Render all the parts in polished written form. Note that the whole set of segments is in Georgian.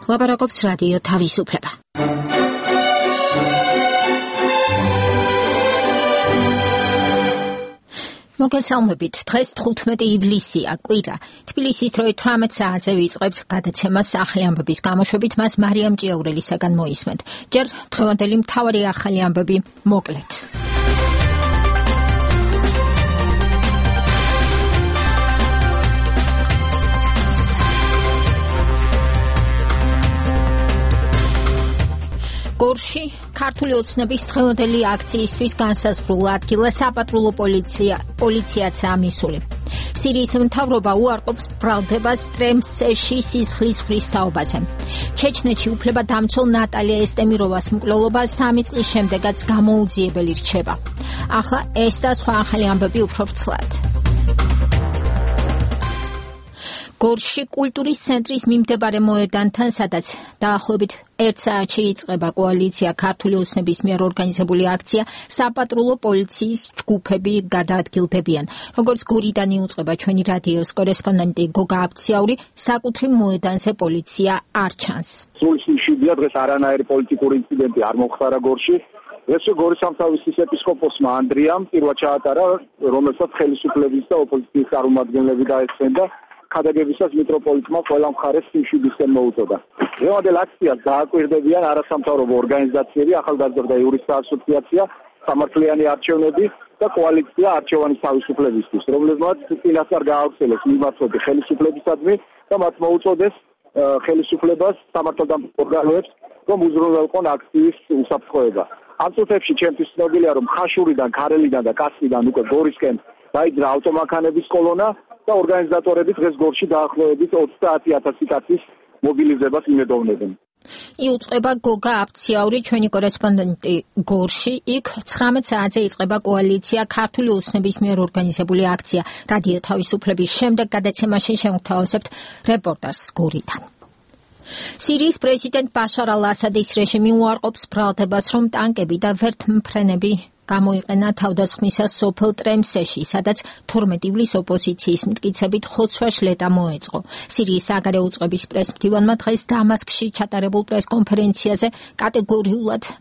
ლაპარაკობს რადიო თავისუფლება. მოგესალმებით, დღეს 15 ივლისია, კვირა. თბილისის დროით 18 საათზე ვიწყებთ გადაცემას სახელი ამბების გამოშვებით, მას მარიამ ჭიაურელისაგან მოისმენთ. ჯერ დღევანდელი მთავარი ახალი ამბები მოკლედ. გორში ქართული ოცნების დღევანდელი აქციისთვის განსაზღვრულ ადგილას საპატრულო პოლიციაცაა მისული. სირიის მთავრობა უარყოფს ბრალდებას ტრემსეში სისხლის ხრისთაობაზე. ჩეჩნეთში უფლებადამცველ ნატალია ესტემიროვას მკვლელობა 3 წლის შემდეგაც გამოუძიებელი რჩება. ახლა ეს და სხვა ახალი ამბები უფრო ვრცლად. გორში კულტურის ცენტრის მიმდებარე მოედანთან, სადაც დაახლოებით 1 საათში იწყება კოალიცია ქართული ოცნების მიერ ორგანიზებული აქცია, საპატრულო პოლიციის ჯგუფები გადაადგილდებიან. როგორც გორიდან იუწყება ჩვენი რადიოს კორესპონდენტი გოგა აბციაური, საკუთრივ მოედანზე პოლიცია არ ჩანს. სულ შიგია დღეს არანაირი პოლიტიკური ინციდენტი არ მოხდარა გორში. ეს გორის სამთავრობის ეპისკოპოსმა ანდრიამ პირველად ჩაატარა, რომელსაც ხელისუფლების და ოპოზიციის წარმომადგენლები დაესწრა. ქადაგებისას მიტროპოლიტმა ყველა მხარეს სიმშვიდისკენ მოუწოდა. დღევანდელ აქციას დააკვირდებიან არასამთავრობო ორგანიზაციები, ახალგაზრდა იურისტთა ასოციაცია, სამართლიანი არჩევნები და კოალიცია არჩევანის თავისუფლებისთვის, რომლებმაც წინასწარ გაავრცელეს მიმართულებით ხელისუფლებისადმი და მათ მოუწოდეს ხელისუფლებას სამართალდამცავ ორგანოებს, რომ უზრუნველყონ აქციის უსაფრთხოება. ამ წუთებში ჩემთვის ცნობილია, რომ ხაშურიდან, ქარელიდან და კასპიდან უკვე გორისკენ დაიძრა ავტომანქანების კოლონა და ორგანიზატორები დღეს გორში დაახლოებით 30,000 კაცის მობილიზებას იმედოვნებენ. იუწყება გოგა აბციაური, ჩვენი კორესპონდენტი გორში. იქ 19 საათზე იწყება კოალიცია ქართული ოცნების მიერ ორგანიზებული აქცია. რადიო თავისუფლების შემდეგ გადაცემაში შევთავაზებთ რეპორტაჟს გორიდან. სირიის პრეზიდენტ ბაშარ ალ-ასადის რეჟიმი უარყოფს ბრალდებას, რომ ტანკები და ვერტმფრენები გამოიყენა თავდასხმისას სოფელ ტრემსეში, სადაც 12 ივლისს ოპოზიციის მტკიცებით ხოცვა-შლეტა მოეწყო. სირიის საგარეო უწყების პრესმდივანმა დღეს დამასკში ჩატარებულ პრესკონფერენციაზე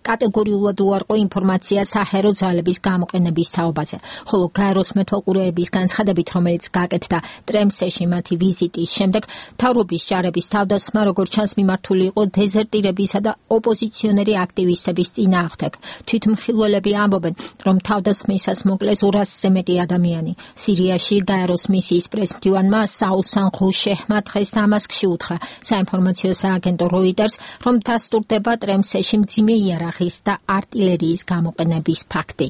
კატეგორიულად უარყო ინფორმაცია საჰაერო ძალების გამოყენების თაობაზე, ხოლო გაეროს მეთვალყურეების განცხადებით, რომელიც გაკეთდა ტრემსეში მათი ვიზიტის შემდეგ, მთავრობის ჯარების თავდასხმა, როგორც ჩანს, მიმართული იყო დეზერტირებისა და ოპოზიციონერი აქტივისტების წინააღმდეგ. თვითმხილველები ამბობენ, რომ თავდასხმისას მოკლეს 200-ზე მეტი ადამიანი. სირიაში გაეროს მისიის პრესმდივანმა საუსან ხუშეჰმა დღეს დამასკში უთხრა საინფორმაციო სააგენტო როიდერს, რომ დასტურდება ტრემსეში მძიმე იარაღის და არტილერიის გამოყენების ფაქტი.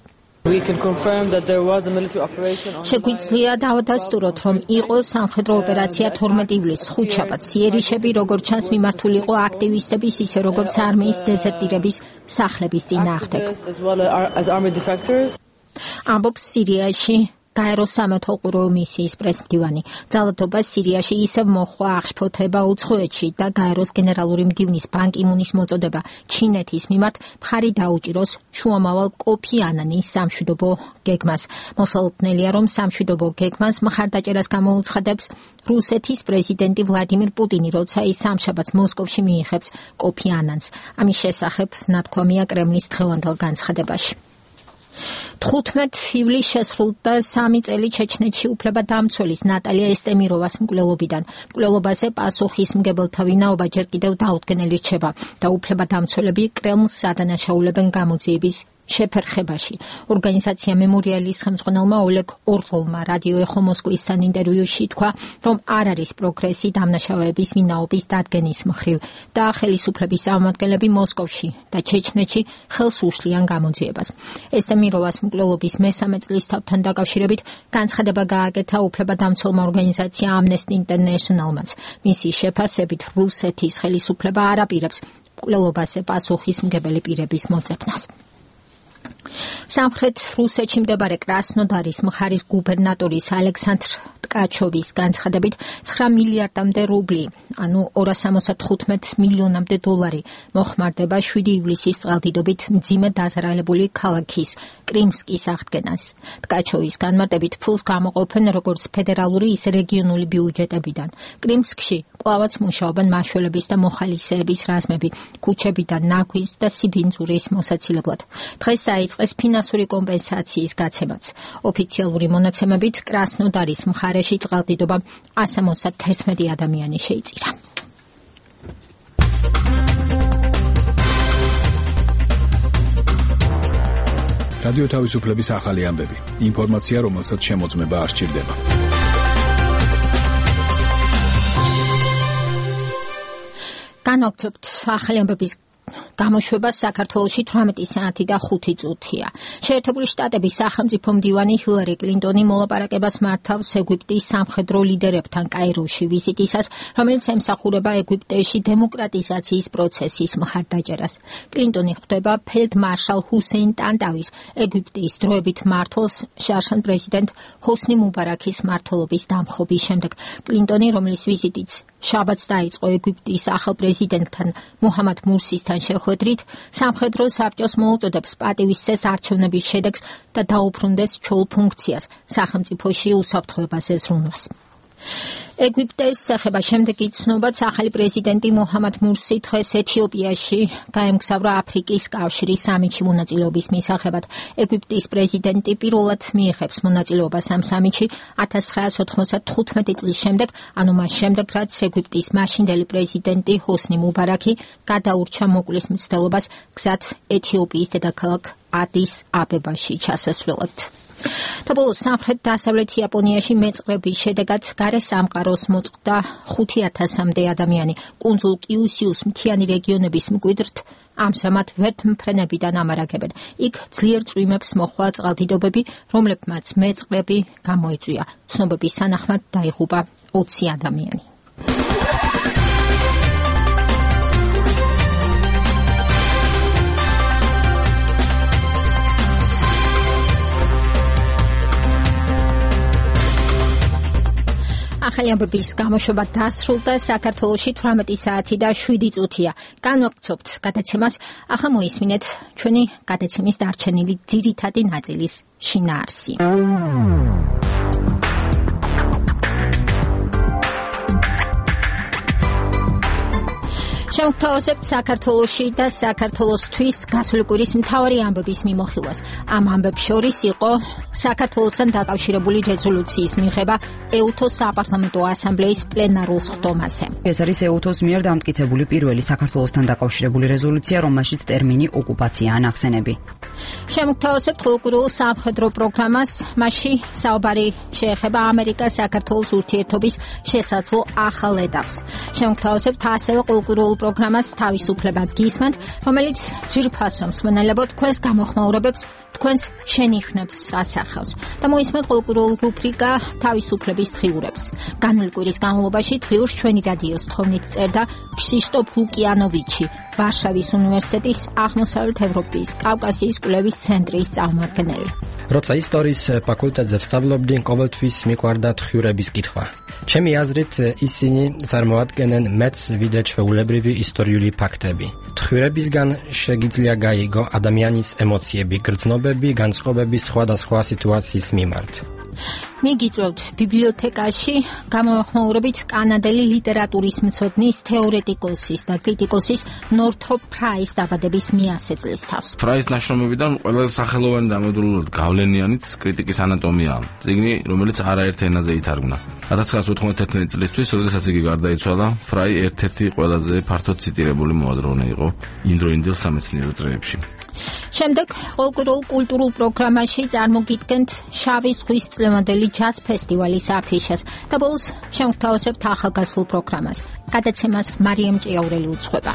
შეგვიძლია დავადასტუროთ, რომ იყო სამხედრო ოპერაცია 12 ივლისს ხუთშაბათს. იერიშები, როგორც ჩანს, მიმართული იყო აქტივისტების, ისე როგორც არმიის დეზერტირების სახლების წინააღმდეგ. ამბობს სირიაში გაეროს სამეთვალყურეო მისიის პრესმდივანი. ძალადობა სირიაში ისევ მოჰყვა აღშფოთება უცხოეთში და გაეროს გენერალური მდივნის ბან კი მუნის მოწოდება ჩინეთის მიმართ მხარი დაუჭიროს შუამავალ კოფი ანანის სამშვიდობო გეგმას. მოსალოდნელია, რომ სამშვიდობო გეგმას მხარდაჭერას გამოუცხადებს რუსეთის პრეზიდენტი ვლადიმირ პუტინი, როცა ის სამშაბათს მოსკოვში მიიღებს კოფი ანანს. ამის შესახებ ნათქვამია კრემლის დღევანდელ განცხადებაში. 15 ივლისს შესრულდა 3 წელი ჩეჩნეთში უფლებადამცველის ნატალია ესტემიროვას მკვლელობიდან. მკვლელობაზე პასუხისმგებელთა ვინაობა ჯერ კიდევ დაუდგენელი რჩება და უფლებადამცველები კრემლს ადანაშაულებენ გამოძიების შეფერხებაში. ორგანიზაცია მემორიალის ხელმძღვანელმა ოლეგ ორლოვმა რადიო ეხო მოსკოვისთან ინტერვიუში თქვა, რომ არ არის პროგრესი დამნაშავეების ვინაობის დადგენის მხრივ და ხელისუფლების წარმომადგენლები მოსკოვში და ჩეჩნეთში ხელს უშლიან გამოძიებას. ესტემიროვას მკვლელობის მესამე წლისთავთან დაკავშირებით განცხადება გააკეთა უფლებადამცველმა ორგანიზაცია Amnesty International-მაც. მისი შეფასებით რუსეთის ხელისუფლება არ აპირებს მკვლელობაზე პასუხისმგებელი პირების მოძებნას. სამხრეთ რუსეთში მდებარე კრასნოდარის მხარის გუბერნატორის ალექსანდრ ტკაჩოვის განცხადებით 9 მილიარდამდე რუბლი, ანუ 275 მილიონამდე დოლარი მოხმარდება 7 ივლისის წყალდიდობით მძიმე დაზარალებული ქალაქის კრიმსკის აღდგენას. ტკაჩოვის განმარტებით ფულს გამოყოფენ როგორც ფედერალური, ისე რეგიონული ბიუჯეტებიდან. კრიმსკში კვლავაც მუშაობენ მაშველების და მოხალისეების რაზმები, ქუჩებიდან ნაგვის და სიბინძურის მოსაცილებლად. დღეს დაიწყეს ფინანსური კომპენსაციის გაცემაც. ოფიციალური მონაცემებით კრასნოდარის მხარეში წყალდიდობა 171 ადამიანი შეიწირა. რადიო თავისუფლების ახალი ამბები. ინფორმაცია, რომელსაც შემოწმება არ სჭირდება. განაგრძობთ ახალი ამბების გამოშვება საქართველოში 18 საათი და 5 წუთია. შეერთებული შტატების სახელმწიფო მდივანი ჰილარი კლინტონი მოლაპარაკებას მართავს ეგვიპტის სამხედრო ლიდერებთან კაიროში ვიზიტისას, რომელიც ემსახურება ეგვიპტეში დემოკრატიზაციის პროცესის მხარდაჭერას. კლინტონი ხვდება ფელდმარშალ ჰუსეინ ტანტავის, ეგვიპტის დროებით მმართველს შარშან პრეზიდენტ ჰოსნი მუბარაქის მმართველობის დამხობის შემდეგ. კლინტონი, რომლის ვიზიტიც შაბათს დაიწყო ეგვიპტის ახალ პრეზიდენტთან მუჰამად მურსისთან შეხვედრით, სამხედრო საბჭოს მოუწოდებს პატივისცეს არჩევნების შედეგს და დაუბრუნდეს ჩვეულ ფუნქციას სახელმწიფოში უსაფრთხოებაზე ზრუნვას. ეგვიპტეს ეხება შემდეგი ცნობაც ახალი პრეზიდენტი მუჰამად მურსი დღეს ეთიოპიაში გაემგზავრა აფრიკის კავშირის სამიტში მონაწილეობის მისაღებად. ეგვიპტის პრეზიდენტი პირველად მიიღებს მონაწილეობას ამ სამიტში 1995 წლის შემდეგ, ანუ მას შემდეგ, რაც ეგვიპტის მაშინდელი პრეზიდენტი ჰოსნი მუბარაქი გადაურჩა მოკვლის მცდელობას გზად ეთიოპიის დედაქალაქ ადის აბებაში ჩასასვლელად. და ბოლოს სამხრეთ-დასავლეთ იაპონიაში მეწყრების შედეგად გარე სამყაროს მოწყდა 5000-მდე ადამიანი. კუნძულ კიუსიუს მთიანი რეგიონების მკვიდრთ ამჟამად ვერთმფრენებიდან ამარაგებენ. იქ ძლიერ წვიმებს მოჰყვა წყალდიდობები, რომლებმაც მეწყრები გამოიწვია. ცნობების თანახმად დაიღუპა 20 ადამიანი. ახალი ამბების გამოშვება დასრულდა. საქართველოში 18 საათი და 7 წუთია. განვაგრძობთ გადაცემას. ახლა მოისმინეთ ჩვენი გადაცემის დარჩენილი ძირითადი ნაწილის შინაარსი. შევთავაზებთ საქართველოში და საქართველოსთვის გასული კვირის მთავარი ამბების მიმოხილვას. ამ ამბებს შორის იყო საქართველოსთან დაკავშირებული რეზოლუციის მიღება ეუთოს საპარლამენტო ასამბლეის პლენარულ სხდომაზე. ეს არის ეუთოს მიერ დამტკიცებული პირველი საქართველოსთან დაკავშირებული რეზოლუცია, რომელშიც ტერმინი ოკუპაციაა ნახსენები. შევთავაზებთ ყოველკვირეულ სამხედრო პროგრამას. მასში საუბარი შეეხება ამერიკა-საქართველოს ურთიერთობის შესაძლო ახალ ეტაპს. შევთავაზებთ ასევე ყოველკვირეულ პროგრამას თავისუფლება გისმენთ, რომელიც ძვირფასო მსმენელებო თქვენს გამოხმაურებებს, თქვენს შენიშვნებს ასახავს. და მოისმენთ ყოველკვირეულ რუბრიკა თავისუფლების დღიურებს. განვლილი კვირის განმავლობაში დღიურს ჩვენი რადიოს თხოვნით წერდა ქრისტოფ ლუკიანოვიჩი, ვარშავის უნივერსიტეტის აღმოსავლეთ ევროპის კავკასიის კვლევის ცენტრის წარმომადგენელი. როცა ისტორიის ფაკულტეტზე ვსწავლობდი, ყოველთვის მიყვარდა დღიურების კითხვა. ჩემი აზრით, ისინი წარმოადგენენ მეც ვიდრე ჩვეულებრივი ისტორიული ფაქტები. დღიურებისგან შეგიძლია გაიგო ადამიანის ემოციები, გრძნობები, განწყობები სხვადასხვა სიტუაციის მიმართ. მიგიწევთ ბიბლიოთეკაში გამოხმაურებით კანადელი ლიტერატურის მცოდნის, თეორეტიკოსის და კრიტიკოსის ნორთროპ ფრაის დაბადების მიასეწლის თავს. ფრაის ნაშრომებიდან ყველაზე სახელოვანი და ამოდროულად გავლენიანიც კრიტიკის ანატომიაა. წიგნი, რომელიც არაერთ ენაზე ითარგმნა. 1991 წლისთვის, როდესაც იგი გარდაიცვალა, ფრაი ერთ-ერთი ყველაზე ფართოდ ციტირებული მოაზროვნე იყო იმდროინდელ სამეცნიერო წრეებში. შემდეგ ყოველკვირეულ კულტურულ პროგრამაში წარმოგიდგენთ შავი ზღვის წლევანდელი ჯაზ ფესტივალის აფიშას და ბოლოს შევთავაზებთ ახალგაზრდულ პროგრამას. გადაცემას მარიამ ჭიაურელი უძღვება.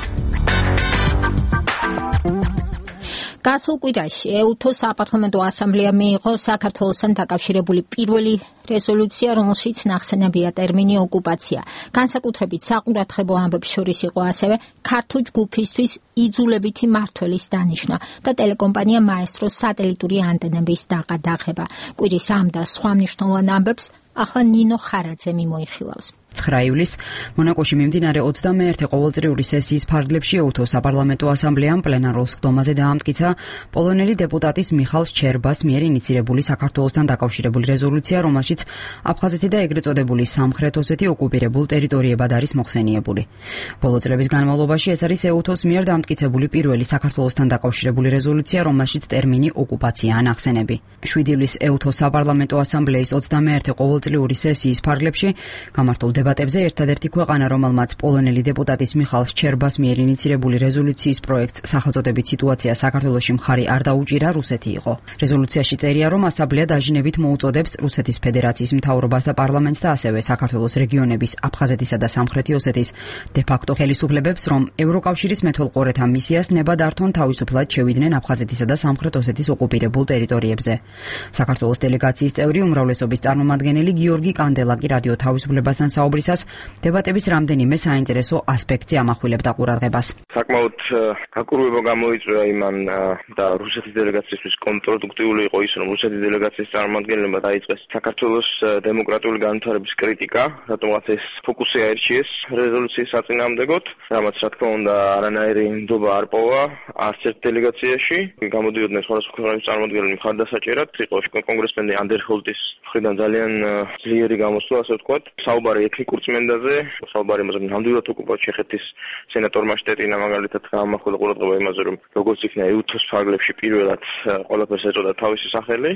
გასულ კვირაში EUTO-ს საპარლამენტო ასამბლეამ მიიღო საქართველოსთან დაკავშირებული პირველი რეზოლუცია, რომელშიც ნახსენებია ტერმინი ოკუპაცია. განსაკუთრებით საყურადღებო ამბებს შორის იყო ასევე ქართულ ჯგუფისთვის იძულებითი მმართველის დანიშვნა და ტელეკომპანია მაესტროს სატელიტური ანტენების დაყადაღება. კვირის ამ და სხვა მნიშვნელოვან ამბებს ახლა ნინო ხარაძე მიმოიხილავს. 9 ივლისს მონაკოში მიმდინარე 21 ყოველწლიური სესიის ფარგლებში EUTO-ს საპარლამენტო ასამბლეამ პლენარულ სხდომაზე დაამტკიცა პოლონელი დეპუტატის მიხალ შჩერბას მიერ ინიცირებული საქართველოსთან დაკავშირებული რეზოლუცია, რომელშიც აფხაზეთი და ეგრეთ წოდებული სამხრეთ ოსეთი ოკუპირებულ ტერიტორიებად არის მოხსენიებული. ბოლო წლების განმავლობაში ეს არის EUTO-ს მიერ დამტკიცებული პირველი საქართველოსთან დაკავშირებული რეზოლუცია, რომელშიც ტერმინი ოკუპაციაა ნახსენები. 7 ივლისს EUTO-ს საპარლამენტო ასამბლეის 21 ყოველწლიური სესიის ფარგლებში გამართულ დებატებზე ერთადერთი ქვეყანა, რომელმაც პოლონელი დეპუტატის მიხალ შჩერბას მიერ ინიცირებული რეზოლუციის პროექტს სახელწოდებით სიტუაცია საქართველოში მხარი არ დაუჭირა, რუსეთი იყო. რეზოლუციაში წერია, რომ ასამბლეა დაჟინებით მოუწოდებს რუსეთის ფედერაციის მთავრობას და პარლამენტს და ასევე საქართველოს რეგიონების აფხაზეთისა და სამხრეთი ოსეთის დე-ფაქტო ხელისუფლებებს, რომ ევროკავშირის მეთვალყურეთა მისიას ნება დართონ თავისუფლად შევიდნენ აფხაზეთისა და სამხრეთ ოსეთის ოკუპირებულ ტერიტორიებზე. საქართველოს დელეგაციის წევრი უმრავლესობის წარმომადგენელი გიორგი კანდელაკი რადიო თავისუფლებასთან საუბრისას დებატების რამდენიმე საინტერესო ასპექტზე ამახვილებდა ყურადღებას. საკმაოდ გაკურვება გამოიწვია იმან და რუსეთის დელეგაციისთვის კონტრპროდუქტიული იყო ის, რომ რუსეთის დელეგაციის წარმომადგენლებმა დაიწყეს საქართველოს დემოკრატიული განვითარების კრიტიკა, რატომღაც ეს ფოკუსი აირჩიეს რეზოლუციის საწინააღმდეგოდ, რამაც რა თქმა უნდა არანაირი ნდობა არ პოვა არც ერთ დელეგაციაში. გამოდიოდნენ სხვადასხვა ქვეყნების წარმომადგენლები მხარდასაჭერად, იყო კონგრესმენი ანდერჰოლტის მხრიდან ძალიან ძლიერი გამოსვლა, ასე ვთქვათ. საუბარი ეთნიკურ წმენდაზე, საუბარი იმაზე, რომ ნამდვილად ოკუპირებულ ჩეხეთის სენატორმა შტეტინა მაგალითად გაამახვილა ყურადღება იმაზე, რომ როგორც იქნა EUTO-ს ფარგლებში პირველად ყველაფერს ეწოდა თავისი სახელი.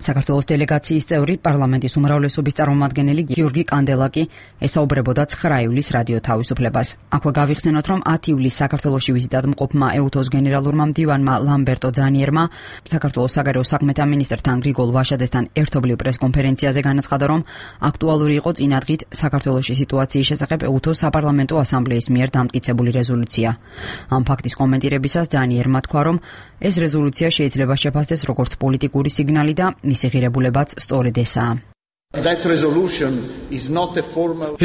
საქართველოს დელეგაციის წევრი პარლამენტის უმრავლესობის წარმომადგენელი გიორგი კანდელაკი ესაუბრებოდა 9 ივლისს რადიო თავისუფლებას. აქვე გავიხსენოთ, რომ 10 ივლისს საქართველოში ვიზიტად მყოფმა EUTO-ს გენერალურმა მდივანმა ლამბერტო ძანიერმა საქართველოს საგარეო საქმეთა მინისტრთან გრიგოლ ვაშაძესთან ერთობლივ პრესკონფერენციაზე განაცხადა, რომ აქტუალური იყო წინადღით საქართველოში სიტუაციის შესახებ EUTO-ს საპარლამენტო ასამბლეის მიერ დამტკიცებული რეზოლუცია. ამ ფაქტის კომენტირებისას ძანიერმა თქვა, რომ ეს რეზოლუცია შეიძლება შეფასდეს როგორც პოლიტიკური სიგნალი და მისი ღირებულებაც სწორედ ესაა.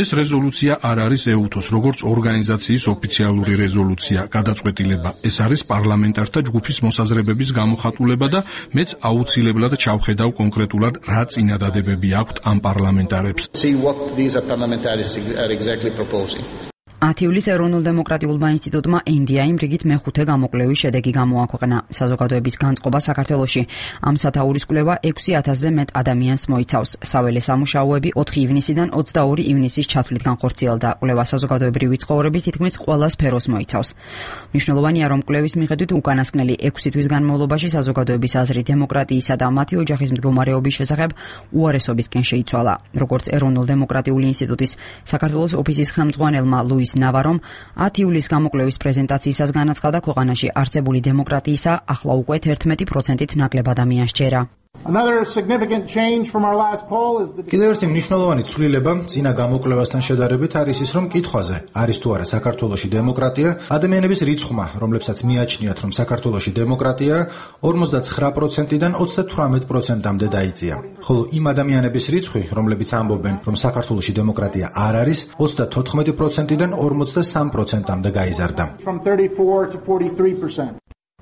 ეს რეზოლუცია არ არის EUTO-ს როგორც ორგანიზაციის ოფიციალური რეზოლუცია, გადაწყვეტილება. ეს არის პარლამენტართა ჯგუფის მოსაზრებების გამოხატულება და მეც აუცილებლად ჩავხედავ კონკრეტულად რა წინადადებები აქვთ ამ პარლამენტარებს. 10 ივლისს ეროვნულ-დემოკრატიულმა ინსტიტუტმა NDI-იმ რიგით მეხუთე გამოკვლევის შედეგი გამოაქვეყნა. საზოგადოების განწყობა საქართველოში ამ სათაურის კვლევა 6000-ზე მეტ ადამიანს მოიცავს. საველე სამუშაოები 4 ივნისიდან 22 ივნისის ჩათვლით განხორციელდა. კვლევა საზოგადოებრივი ცხოვრების თითქმის ყველა სფეროს მოიცავს. მნიშვნელოვანია, რომ კვლევის მიხედვით უკანასკნელი 6 თვის განმავლობაში საზოგადოების აზრი დემოკრატიისა და მათი ოჯახის მდგომარეობის შესახებ უარესობისკენ შეიცვალა. როგორც ეროვნულ-დემოკრატიული ინსტიტუტის საქართველოს ოფისის ხელმძღვანელმა ლუის ნავარომ 10 ივლისს გამოკვლევის პრეზენტაციისას განაცხადა, ქვეყანაში არსებული დემოკრატიისა ახლა უკვე 11%-ით ნაკლებ ადამიანს ჯერა. კიდევ ერთი მნიშვნელოვანი ცვლილება წინა გამოკვლევასთან შედარებით არის ის, რომ კითხვაზე არის თუ არა საქართველოში დემოკრატია, ადამიანების რიცხვმა, რომლებსაც მიაჩნიათ, რომ საქართველოში დემოკრატია, 59%-დან 38%-მდე დაიწია. ხოლო იმ ადამიანების რიცხვი, რომლებიც ამბობენ, რომ საქართველოში დემოკრატია არ არის, 34%-დან 43%-მდე გაიზარდა.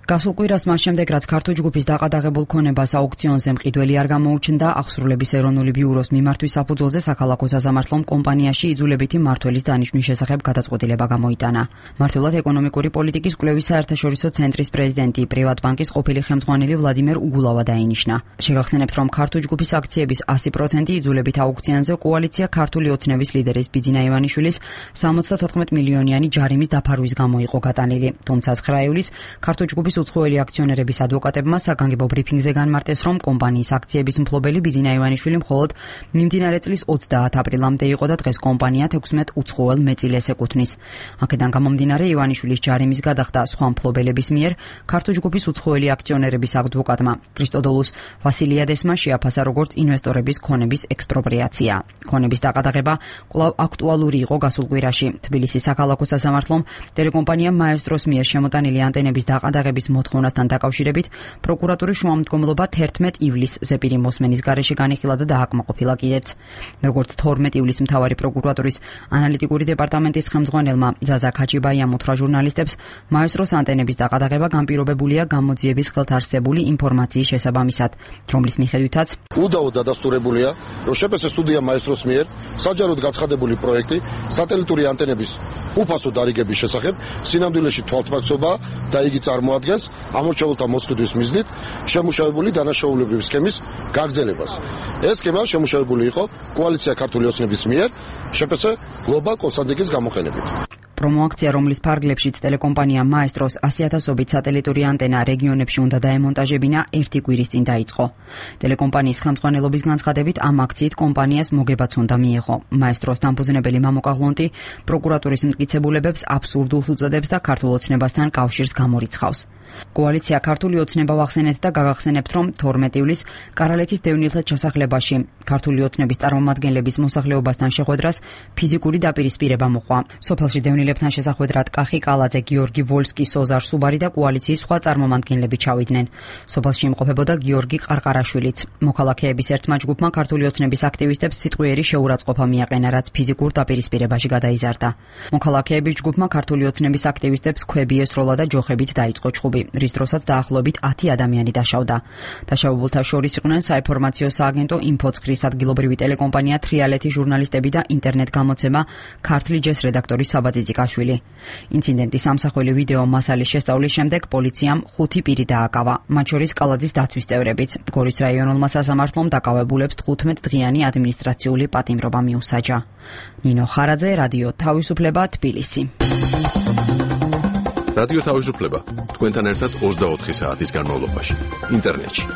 გასულ კვირას მას შემდეგ, რაც ქართულ ჯგუფის დაყადაღებულ ქონებას აუქციონზე მყიდველი არ გამოუჩნდა, აღსრულების ეროვნული ბიუროს მიმართვის საფუძველზე საქალაქო საზამართლომ კომპანიაში იძულებითი მმართველის დანიშვნის შესახებ გადაწყვეტილება გამოიტანა. მართლად ეკონომიკური პოლიტიკის კვლევის საერთაშორისო ცენტრის პრეზიდენტი, პრივატბანკის ყოფილი ხელმძღვანელი ვლადიმერ უგულავა დაინიშნა. შეგახსენებთ, რომ ქართულ ჯგუფის აქციების 100% იძულებით აუქციონზე კოალიცია ქართული ოცნების ლიდერის ბიძინა ივანიშვილის 74 მილიონიანი ჯარიმის დაფარვის გამო იყო გატანილი. თუმცა 9 ივლისს ქართულ ჯგუფის უცხოელი აქციონერების ადვოკატებმა საგანგებო ბრიფინგზე განმარტეს, რომ კომპანიის აქციების მფლობელი ბიძინა ივანიშვილი მხოლოდ მიმდინარე წლის 30 აპრილამდე იყო და დღეს კომპანია 16 უცხოელ მეწილეს ეკუთვნის. აქედან გამომდინარე ივანიშვილის ჯარიმის გადახდა სხვა მფლობელების მიერ ქართულ ჯგუფის უცხოელი აქციონერების ადვოკატმა კრისტოდოლუს ვასილიადესმა შეაფასა როგორც ინვესტორების ქონების ექსპროპრიაცია. ქონების დაყადაღება კვლავ აქტუალური იყო გასულ კვირაში. თბილისის საქალაქო სასამართლომ ტელეკომპანია მაესტროს მიერ შემოტანილი ანტენების დაყადაღების გამოყენების მოთხოვნასთან დაკავშირებით პროკურატურის შუამდგომლობა 11 ივლისზე პირი მოსმენის გარეშე განიხილა და დააკმაყოფილა კიდეც. როგორც 12 ივლისს მთავარი პროკურატურის ანალიტიკური დეპარტამენტის ხელმძღვანელმა ზაზა ქაჩიბაიამ უთხრა ჟურნალისტებს, მაესტროს ანტენების დაყადაღება განპირობებულია გამოძიების ხელთარსებული ინფორმაციის შესაბამისად, რომლის მიხედვითაც უდაოდ დადასტურებულია, რომ შეპესე სტუდია მაესტროს მიერ საჯაროდ გაცხადებული პროექტი სატელიტური ანტენების უფასო დარიგების შესახებ სინამდვილეში თვალთმაქცობა და იგი წარმოადგენს ამორჩეულთა მოსყიდვის მიზნით შემუშავებული დანაშაულებრივი სქემის გაგრძელებას. ეს სქემა შემუშავებული იყო კოალიცია ქართული ოცნების მიერ შეპესე გლობალ კონსალტინგის გამოყენებით. პრომოაქცია, რომლის ფარგლებშიც ტელეკომპანია მაესტროს 100,000-ობით სატელიტური ანტენა რეგიონებში უნდა დაემონტაჟებინა, ერთი კვირის წინ დაიწყო. ტელეკომპანიის ხელმძღვანელობის განცხადებით, ამ აქციით კომპანიას მოგებაც უნდა მიეღო. მაესტროს დამფუძნებელი მამუკა ღლონტი პროკურატურის მტკიცებულებებს აბსურდულს უწოდებს და ქართულ ოცნებასთან კავშირს გამორიცხავს. კოალიცია ქართული ოცნება ვახსენეთ და გაგახსენებთ, რომ 12 ივლისს კარალეთის დევნილთა ჩასახლებაში ქართული ოცნების წარმომადგენლების მოსახლეობასთან შეხვედრას ფიზიკური დაპირისპირება მოყვა. სოფელში დევნილებთან შესახვედრად კახი კალაძე, გიორგი ვოლსკი, სოზარ სუბარი და კოალიციის სხვა წარმომადგენლები ჩავიდნენ. სოფელში იმყოფებოდა გიორგი ყარყარაშვილიც. მოქალაქეების ერთმა ჯგუფმა ქართული ოცნების აქტივისტებს სიტყვიერი შეურაცხყოფა მიაყენა, რაც ფიზიკურ დაპირისპირებაში გადაიზარდა. მოქალაქეების ჯგუფმა ქართული ოცნების აქტივისტებს ქვები ესროლა და ჯოხებით დაიწყო ჩხუბი, რის დროსაც დაახლოებით 10 ადამიანი დაშავდა. დაშავებულთა შორის იყვნენ საინფორმაციო სააგენტო ინფოცხრის ადგილობრივი ტელეკომპანია თრიალეთი ჟურნალისტები და ინტერნეტ გამოცემა ქართლი ჯეს რედაქტორი საბა ძიძიკაშვილი. ინციდენტის ამსახველი ვიდეო მასალის შესწავლის შემდეგ პოლიციამ 5 პირი დააკავა, მათ შორის კალაძის დაცვის წევრებიც. გორის რაიონულმა სასამართლომ დაკავებულებს 15 დღიანი ადმინისტრაციული პატიმრობა მიუსაჯა. ნინო ხარაძე, რადიო თავისუფლება, თბილისი. რადიო თავისუფლება თქვენთან ერთად 24 საათის განმავლობაში ინტერნეტში.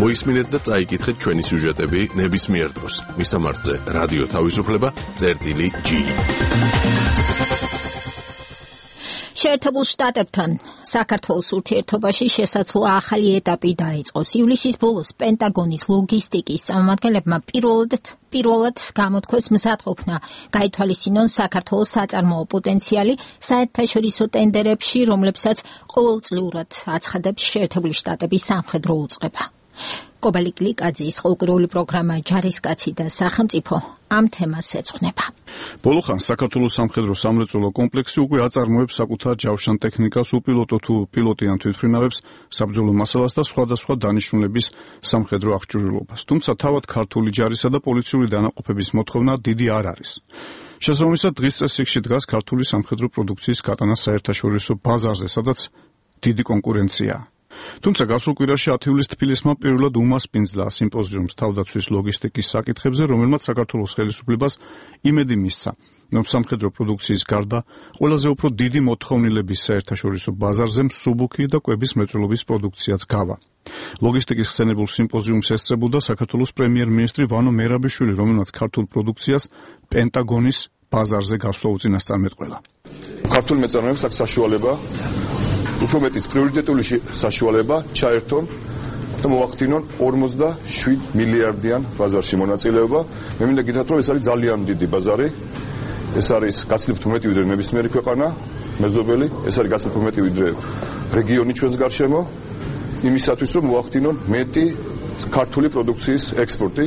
მოისმინეთ და წაიკითხეთ ჩვენი სიუჟეტები ნებისმიერ დროს. მისამართზე რადიო თავისუფლება.g. შეერთებულ შტატებთან საქართველოს ურთიერთობაში შესაძლო ახალი ეტაპი დაიწყოს. ივლისის ბოლოს პენტაგონის ლოგისტიკის წარმომადგენლებმა პირველად გამოთქვეს მზადყოფნა გაითვალისწინონ საქართველოს საწარმოო პოტენციალი საერთაშორისო ტენდერებში, რომლებსაც ყოველწლიურად აცხადებს შეერთებული შტატების სამხედრო უწყება. კობალი კლიკაძის ხალხური პროგრამა ჯარისკაცი და სახელმწიფო ამ თემას ეძღვნება. ბოლოხანს საქართველოს სამხედრო სამრეწველო კომპლექსი უკვე აწარმოებს საკუთარ ჯავშან ტექნიკას, უპილოტო თუ პილოტიან თვითმფრინავებს, საბრძოლო მასალას და სხვადასხვა დანიშნულების სამხედრო აღჭურვილობას. თუმცა თავად ქართული ჯარისა და პოლიციური დანაყოფების მოთხოვნა დიდი არ არის. შესაბამისად, დღის წესრიგში დგას ქართული სამხედრო პროდუქციის გატანა საერთაშორისო ბაზარზე, სადაც დიდი კონკურენციაა. თუმცა გასულ კვირაში 10 ივლისს თბილისმა პირველად უმასპინძლა სიმპოზიუმს თავდაცვის ლოგისტიკის საკითხებზე, რომელმაც საქართველოს ხელისუფლებას იმედი მისცა, რომ სამხედრო პროდუქციის გარდა ყველაზე უფრო დიდი მოთხოვნილების საერთაშორისო ბაზარზე მსუბუქი და კვების მრეწველობის პროდუქციაც გავა. ლოგისტიკის ხსენებულ სიმპოზიუმს ესწრებოდა საქართველოს პრემიერ-მინისტრი ვანო მერაბიშვილი, რომელმაც ქართულ პროდუქციას პენტაგონის ბაზარზე გასვლა უწინასწარმეტყველა. ქართული მეწარმეებს აქვს საშუალება უფრო მეტიც პრიორიტეტული საშუალება ჩაერთონ და მოახდინონ 47 მილიარდიან ბაზარში მონაწილეობა. მე მინდა გითხრათ, რომ ეს არის ძალიან დიდი ბაზარი. ეს არის გაცილებით მეტი ვიდრე ნებისმიერი ქვეყანა, მეზობელი, ეს არის გაცილებით მეტი ვიდრე რეგიონი ჩვენს გარშემო, იმისათვის რომ მოახდინონ მეტი ქართული პროდუქციის ექსპორტი.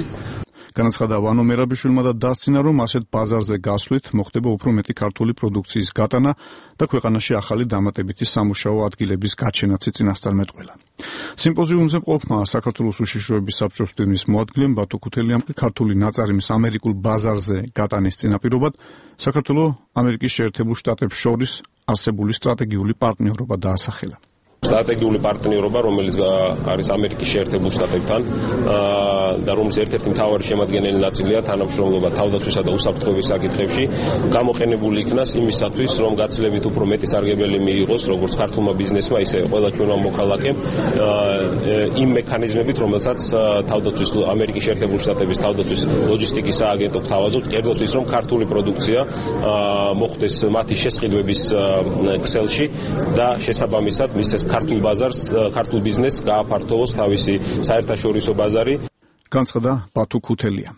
განაცხადა ვანო მერაბიშვილმა და დასცინა, რომ ასეთ ბაზარზე გასვლით მოხდება უფრო მეტი ქართული პროდუქციის გატანა და ქვეყანაში ახალი დამატებითი სამუშაო ადგილების გაჩენაც წინასწარმეტყველა. სიმპოზიუმზე მყოფმა საქართველოს უშიშროების საბჭოს მდივნის მოადგილემ ბათო ქუთელიამ ქართული ნაწარმის ამერიკულ ბაზარზე გატანის წინაპირობად საქართველოს ამერიკის შეერთებულ შტატებს შორის არსებული სტრატეგიული პარტნიორობა დაასახელა. სტრატეგიული პარტნიორობა, რომელიც არის ამერიკის შეერთებულ შტატებთან და რომლის ერთ-ერთი მთავარი შემადგენელი ნაწილია თანამშრომლობა თავდაცვისა და უსაფრთხოების საკითხებში, გამოყენებული იქნას იმისათვის, რომ გაცილებით უფრო მეტი სარგებელი მიიღოს როგორც ქართულმა ბიზნესმა, ისე ყველა ჩვენმა მოქალაქემ იმ მექანიზმებით, რომელსაც თავდაცვის ამერიკის შეერთებულ შტატების თავდაცვის ლოჯისტიკის სააგენტო გთავაზობთ, კერძოდ ის, რომ ქართული პროდუქცია მოხვდეს მათი შესყიდვების ქსელში და შესაბამისად მისცეს ქართულ ბაზარს, ქართულ ბიზნესს გააფართოვოს თავისი საერთაშორისო ბაზარი. განცხადა ბათო ქუთელია.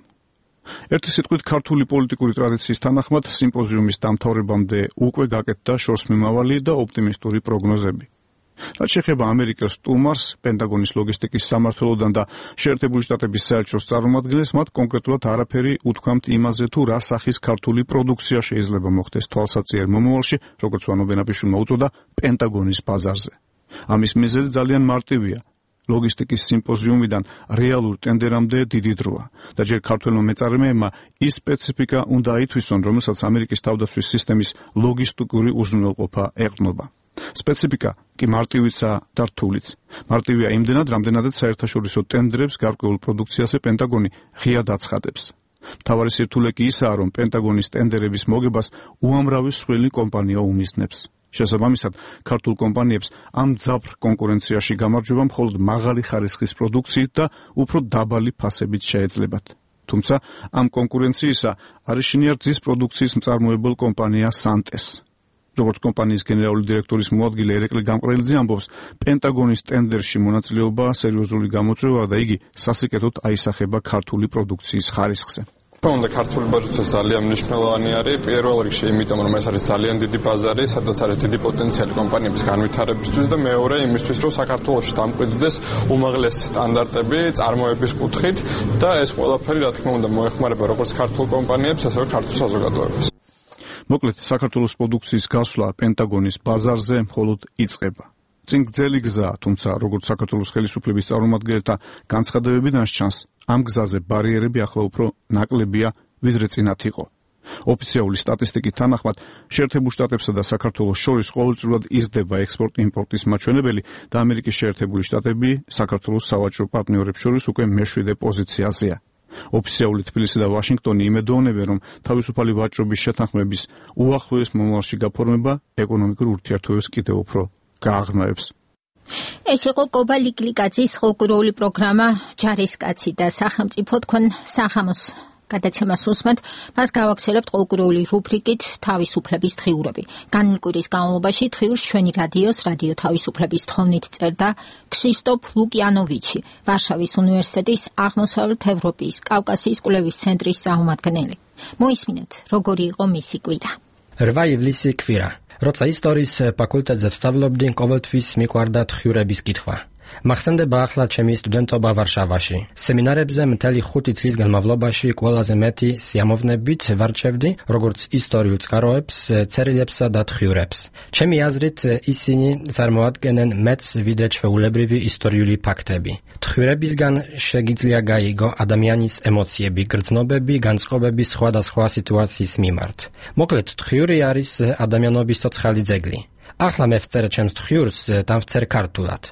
ერთი სიტყვით ქართული პოლიტიკური ტრადიციის თანახმად სიმპოზიუმის დამთავრებამდე უკვე გაკეთდა შორსმიმავალი და ოპტიმისტური პროგნოზები. რაც შეეხება ამერიკელ სტუმარს, პენტაგონის ლოგისტიკის სამმართველოდან და შეერთებული შტატების საელჩოს წარმომადგენლებს, მათ კონკრეტულად არაფერი უთქვამთ იმაზე, თუ რა სახის ქართული პროდუქცია შეიძლება მოხდეს თვალსაჩინო მომავალში, როგორც ვანო ბენაბიშვილმა უწოდა, პენტაგონის ბაზარზე. ამის მიზეზი ძალიან მარტივია. ლოგისტიკის სიმპოზიუმიდან რეალურ ტენდერამდე დიდი დროა და ჯერ ქართველმა მეწარმეებმა ის სპეციფიკა უნდა აითვისონ, რომელსაც ამერიკის თავდაცვის სისტემის ლოგისტიკური უზრუნველყოფა ეყრდნობა. სპეციფიკა კი მარტივიცაა და რთულიც. მარტივია იმდენად, რამდენადაც საერთაშორისო ტენდერებს გარკვეულ პროდუქციაზე პენტაგონი ღიად აცხადებს. მთავარი სირთულე კი ისაა, რომ პენტაგონის ტენდერების მოგებას უამრავი მსხვილი კომპანია უმიზნებს. შესაბამისად, ქართულ კომპანიებს ამ ძაბრ კონკურენციაში გამარჯვება მხოლოდ მაღალი ხარისხის პროდუქციით და უფრო დაბალი ფასებით შეეძლებათ. თუმცა ამ კონკურენციისა არის შინიარძის პროდუქციის მწარმოებელ კომპანია სანტეს. როგორც კომპანიის გენერალური დირექტორის მოადგილე ერეკლი გამყრელიძე ამბობს, პენტაგონის ტენდერში მონაწილეობა სერიოზული გამოწვევაა და იგი სასიკეთოდ აისახება ქართული პროდუქციის ხარისხზე. თუმცა ქართული ბაზარიც ძალიან მნიშვნელოვანი არის. პირველ რიგში იმიტომ, რომ ეს არის ძალიან დიდი ბაზარი, სადაც არის დიდი პოტენციალი კომპანიების განვითარებისთვის და მეორე იმისთვის, რომ საქართველოში დამკვიდრდეს უმაღლესი სტანდარტები წარმოების კუთხით და ეს ყველაფერი, რა თქმა უნდა, მოეხმარება როგორც ქართულ კომპანიებს, ასევე ქართულ საზოგადოებას. მოკლედ, საქართველოს პროდუქციის გასვლა პენტაგონის ბაზარზე მხოლოდ იწყება. წინ გრძელი გზაა, თუმცა როგორც საქართველოს ხელისუფლების წარმომადგენელთა განცხადებებიდან ჩანს, ამ გზაზე ბარიერები ახლა უფრო ნაკლებია, ვიდრე წინათ იყო. ოფიციალური სტატისტიკის თანახმად, შეერთებულ შტატებსა და საქართველოს შორის ყოველწლიურად იზრდება ექსპორტ-იმპორტის მაჩვენებელი და ამერიკის შეერთებული შტატები საქართველოს სავაჭრო პარტნიორებს შორის უკვე მე-7 პოზიციაზეა. ოფიციალური თბილისი და ვაშინგტონი იმედოვნებენ, რომ თავისუფალი ვაჭრობის შეთანხმების უახლოეს მომავალში გაფორმება ეკონომიკურ ურთიერთობებს კიდევ უფრო გააღრმავებს. ეს იყო კობა ლიკლიკაძის ხალხური პროგრამა ჯარისკაცი და სახელმწიფო თქვენ სახამოს გადაცემას უსმენთ, მას გავაგრძელებთ ყოლკურული რუბრიკით თავისუფლების დღიურები. განმკვირის განმავლობაში დღიურს ჩვენი რადიოს რადიო თავისუფლების თხოვნით წერდა ქსისტოფ ლუკიანოვიჩი, ვარშავის უნივერსიტეტის აღმოსავლეთ ევროპის კავკასიის კვლევის ცენტრის წარმომადგენელი. მოისმინეთ, როგორი იყო მისი კვირა. 8 ივლისი კვირა. როცა ისტორიის ფაკულტეტზე ვსწავლობდი, ყოველთვის მიყვარდა დღიურების კითხვა. მახსენდება ახლა ჩემი სტუდენტობა ვარშავაში. სემინარებზე მთელი 5 წლის განმავლობაში ყველაზე მეტი სიამოვნებით ვარჩევდი როგორც ისტორიულ წყაროებს, წერილებსა და დღიურებს. ჩემი აზრით, ისინი წარმოადგენენ მეტს ვიდრე ჩვეულებრივი ისტორიული ფაქტები. დღიურებისგან შეგიძლია გაიგო ადამიანის ემოციები, გრძნობები, განწყობები სხვადასხვა სიტუაციის მიმართ. მოკლედ, დღიური არის ადამიანობის ცოცხალი ძეგლი. ახლა მე ვწერე ჩემს დღიურს და ვწერ ქართულად.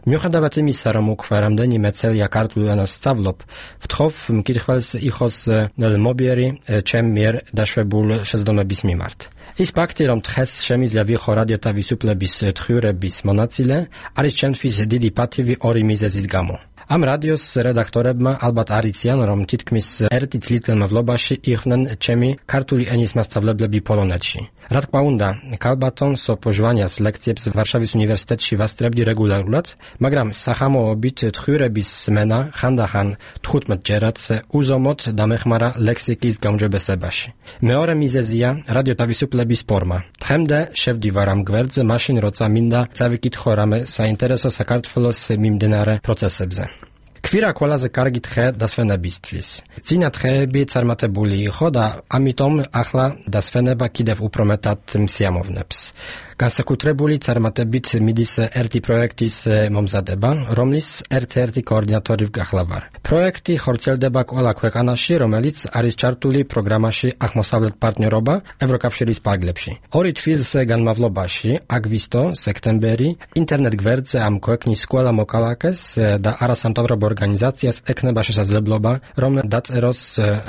მიუხედავად იმისა, რომ უკვე რამდენიმე წელია ქართულ ენას სწავლობ, ვთხოვ მკითხველს იყოს ნელმობიერი ჩემ მიერ დაშვებულ შეცდომების მიმართ. ის ფაქტი, რომ დღეს შემიძლია ვიყო რადიო თავისუფლების დღიურების მონაწილე, არის ჩემთვის დიდი პატივი ორი მიზეზის გამო. ამ რადიოს რედაქტორებმა ალბათ არიციან, რომ თითქმის 1 წლის განმავლობაში იყვნენ ჩემი ქართული ენის მასწავლებლები პოლონეთში. რა თქმა უნდა, ქალბატონ სოფო ჟვანიას ლექციებს ვარშავის უნივერსიტეტში ვასწრებდი რეგულარულად, მაგრამ სახამოობით დღიურების სმენა ხანდახან 15 ჯერაც უზომოდ დამეხმარა ლექსიკის გაუმჯობესებაში. მეორე მიზეზია რადიო თავისუფლების ფორმა. დღემდე შევდივარ ამ გვერდზე მაშინ, როცა მინდა წავიკითხო რამე საინტერესო საქართველოს მიმდინარე პროცესებზე. კვირა ყველაზე კარგი დღე დასვენებისთვის. წინა დღეები წარმატებული იყო და ამიტომ ახლა დასვენება კიდევ უფრო მეტად მსიამოვნებს. განსაკუთრებული წარმატებით მიდის ერთი პროექტის მომზადება, რომლის ერთ-ერთი კოორდინატორი გახლავარ. პროექტი ხორციელდება ყველა ქვეყანაში, რომელიც არის ჩართული პროგრამაში აღმოსავლეთ პარტნიორობა ევროკავშირის ფარგლებში. 2 თვის განმავლობაში, აგვისტო, სექტემბერი, ინტერნეტ გვერდზე ამ ქვეყნის ყველა მოქალაქეს და არასამთავრობო ორგანიზაციას ექნება შესაძლებლობა, რომ დაწეროს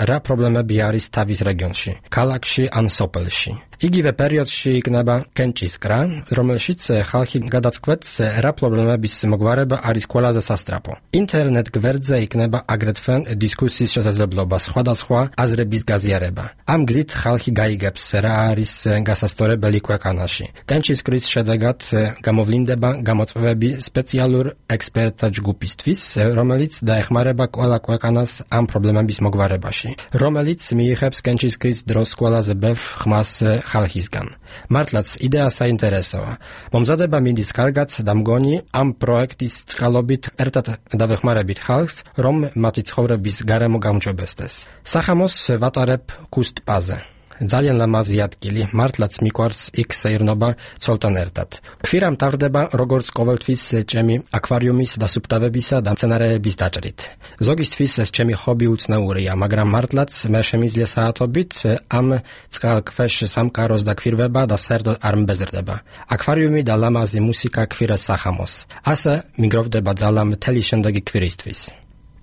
რა პრობლემები არის თავის რეგიონში, ქალაქში ან სოფელში. იგივე პერიოდში იქნება კენჭისკრა, რომელშიც ხალხი გადაწყვეტს, რა პრობლემების მოგვარება არის ყველაზე სასწრაფო. ინტერნეტ გვერდზე იქნება აგრეთვე დისკუსიის შესაძლებლობა, სხვადასხვა აზრების გაზიარება. ამ გზით ხალხი გაიგებს, რა არის გასასწორებელი ქვეყანაში. კენჭისკრის შედეგად გამოვლინდება გამოწვევები სპეციალურ ექსპერტთა ჯგუფისთვის, რომელიც დაეხმარება ყველა ქვეყანას ამ პრობლემების მოგვარებაში, რომელიც მიიღებს კენჭისკრის დროს ყველაზე ბევრ ხმას ხალხისგან. მართლაც იდეა საინტერესოა. მომზადება მინდის კარგად და მგონი ამ პროექტის წყალობით ერთად დავეხმარებით ხალხს, რომ მათი ცხოვრების გარემო გაუმჯობესდეს. სახამოს ვატარებ ქუს ტბაზე. ძალიან ლამაზი ადგილი, მართლაც მიყვარს იქ საირნობა ცოლთან ერთად. ქვირა მთავრდება როგორც ყოველთვის ჩემი აკვარიუმის დასუფთავებისა და მცენარეების დაჭრით. ზოგისთვის ეს ჩემი ჰობი უცნაურია, მაგრამ მართლაც მე შემიძლია საათობით ამ წყალქვეშ სამყაროს დაქვირვება და საერთოდ არ მბეზრდება. აკვარიუმი და ლამაზი მუსიკა ქვირას სახამოს. ასე მიგროვდება ძალა მთელი შემდეგი კვირისთვის.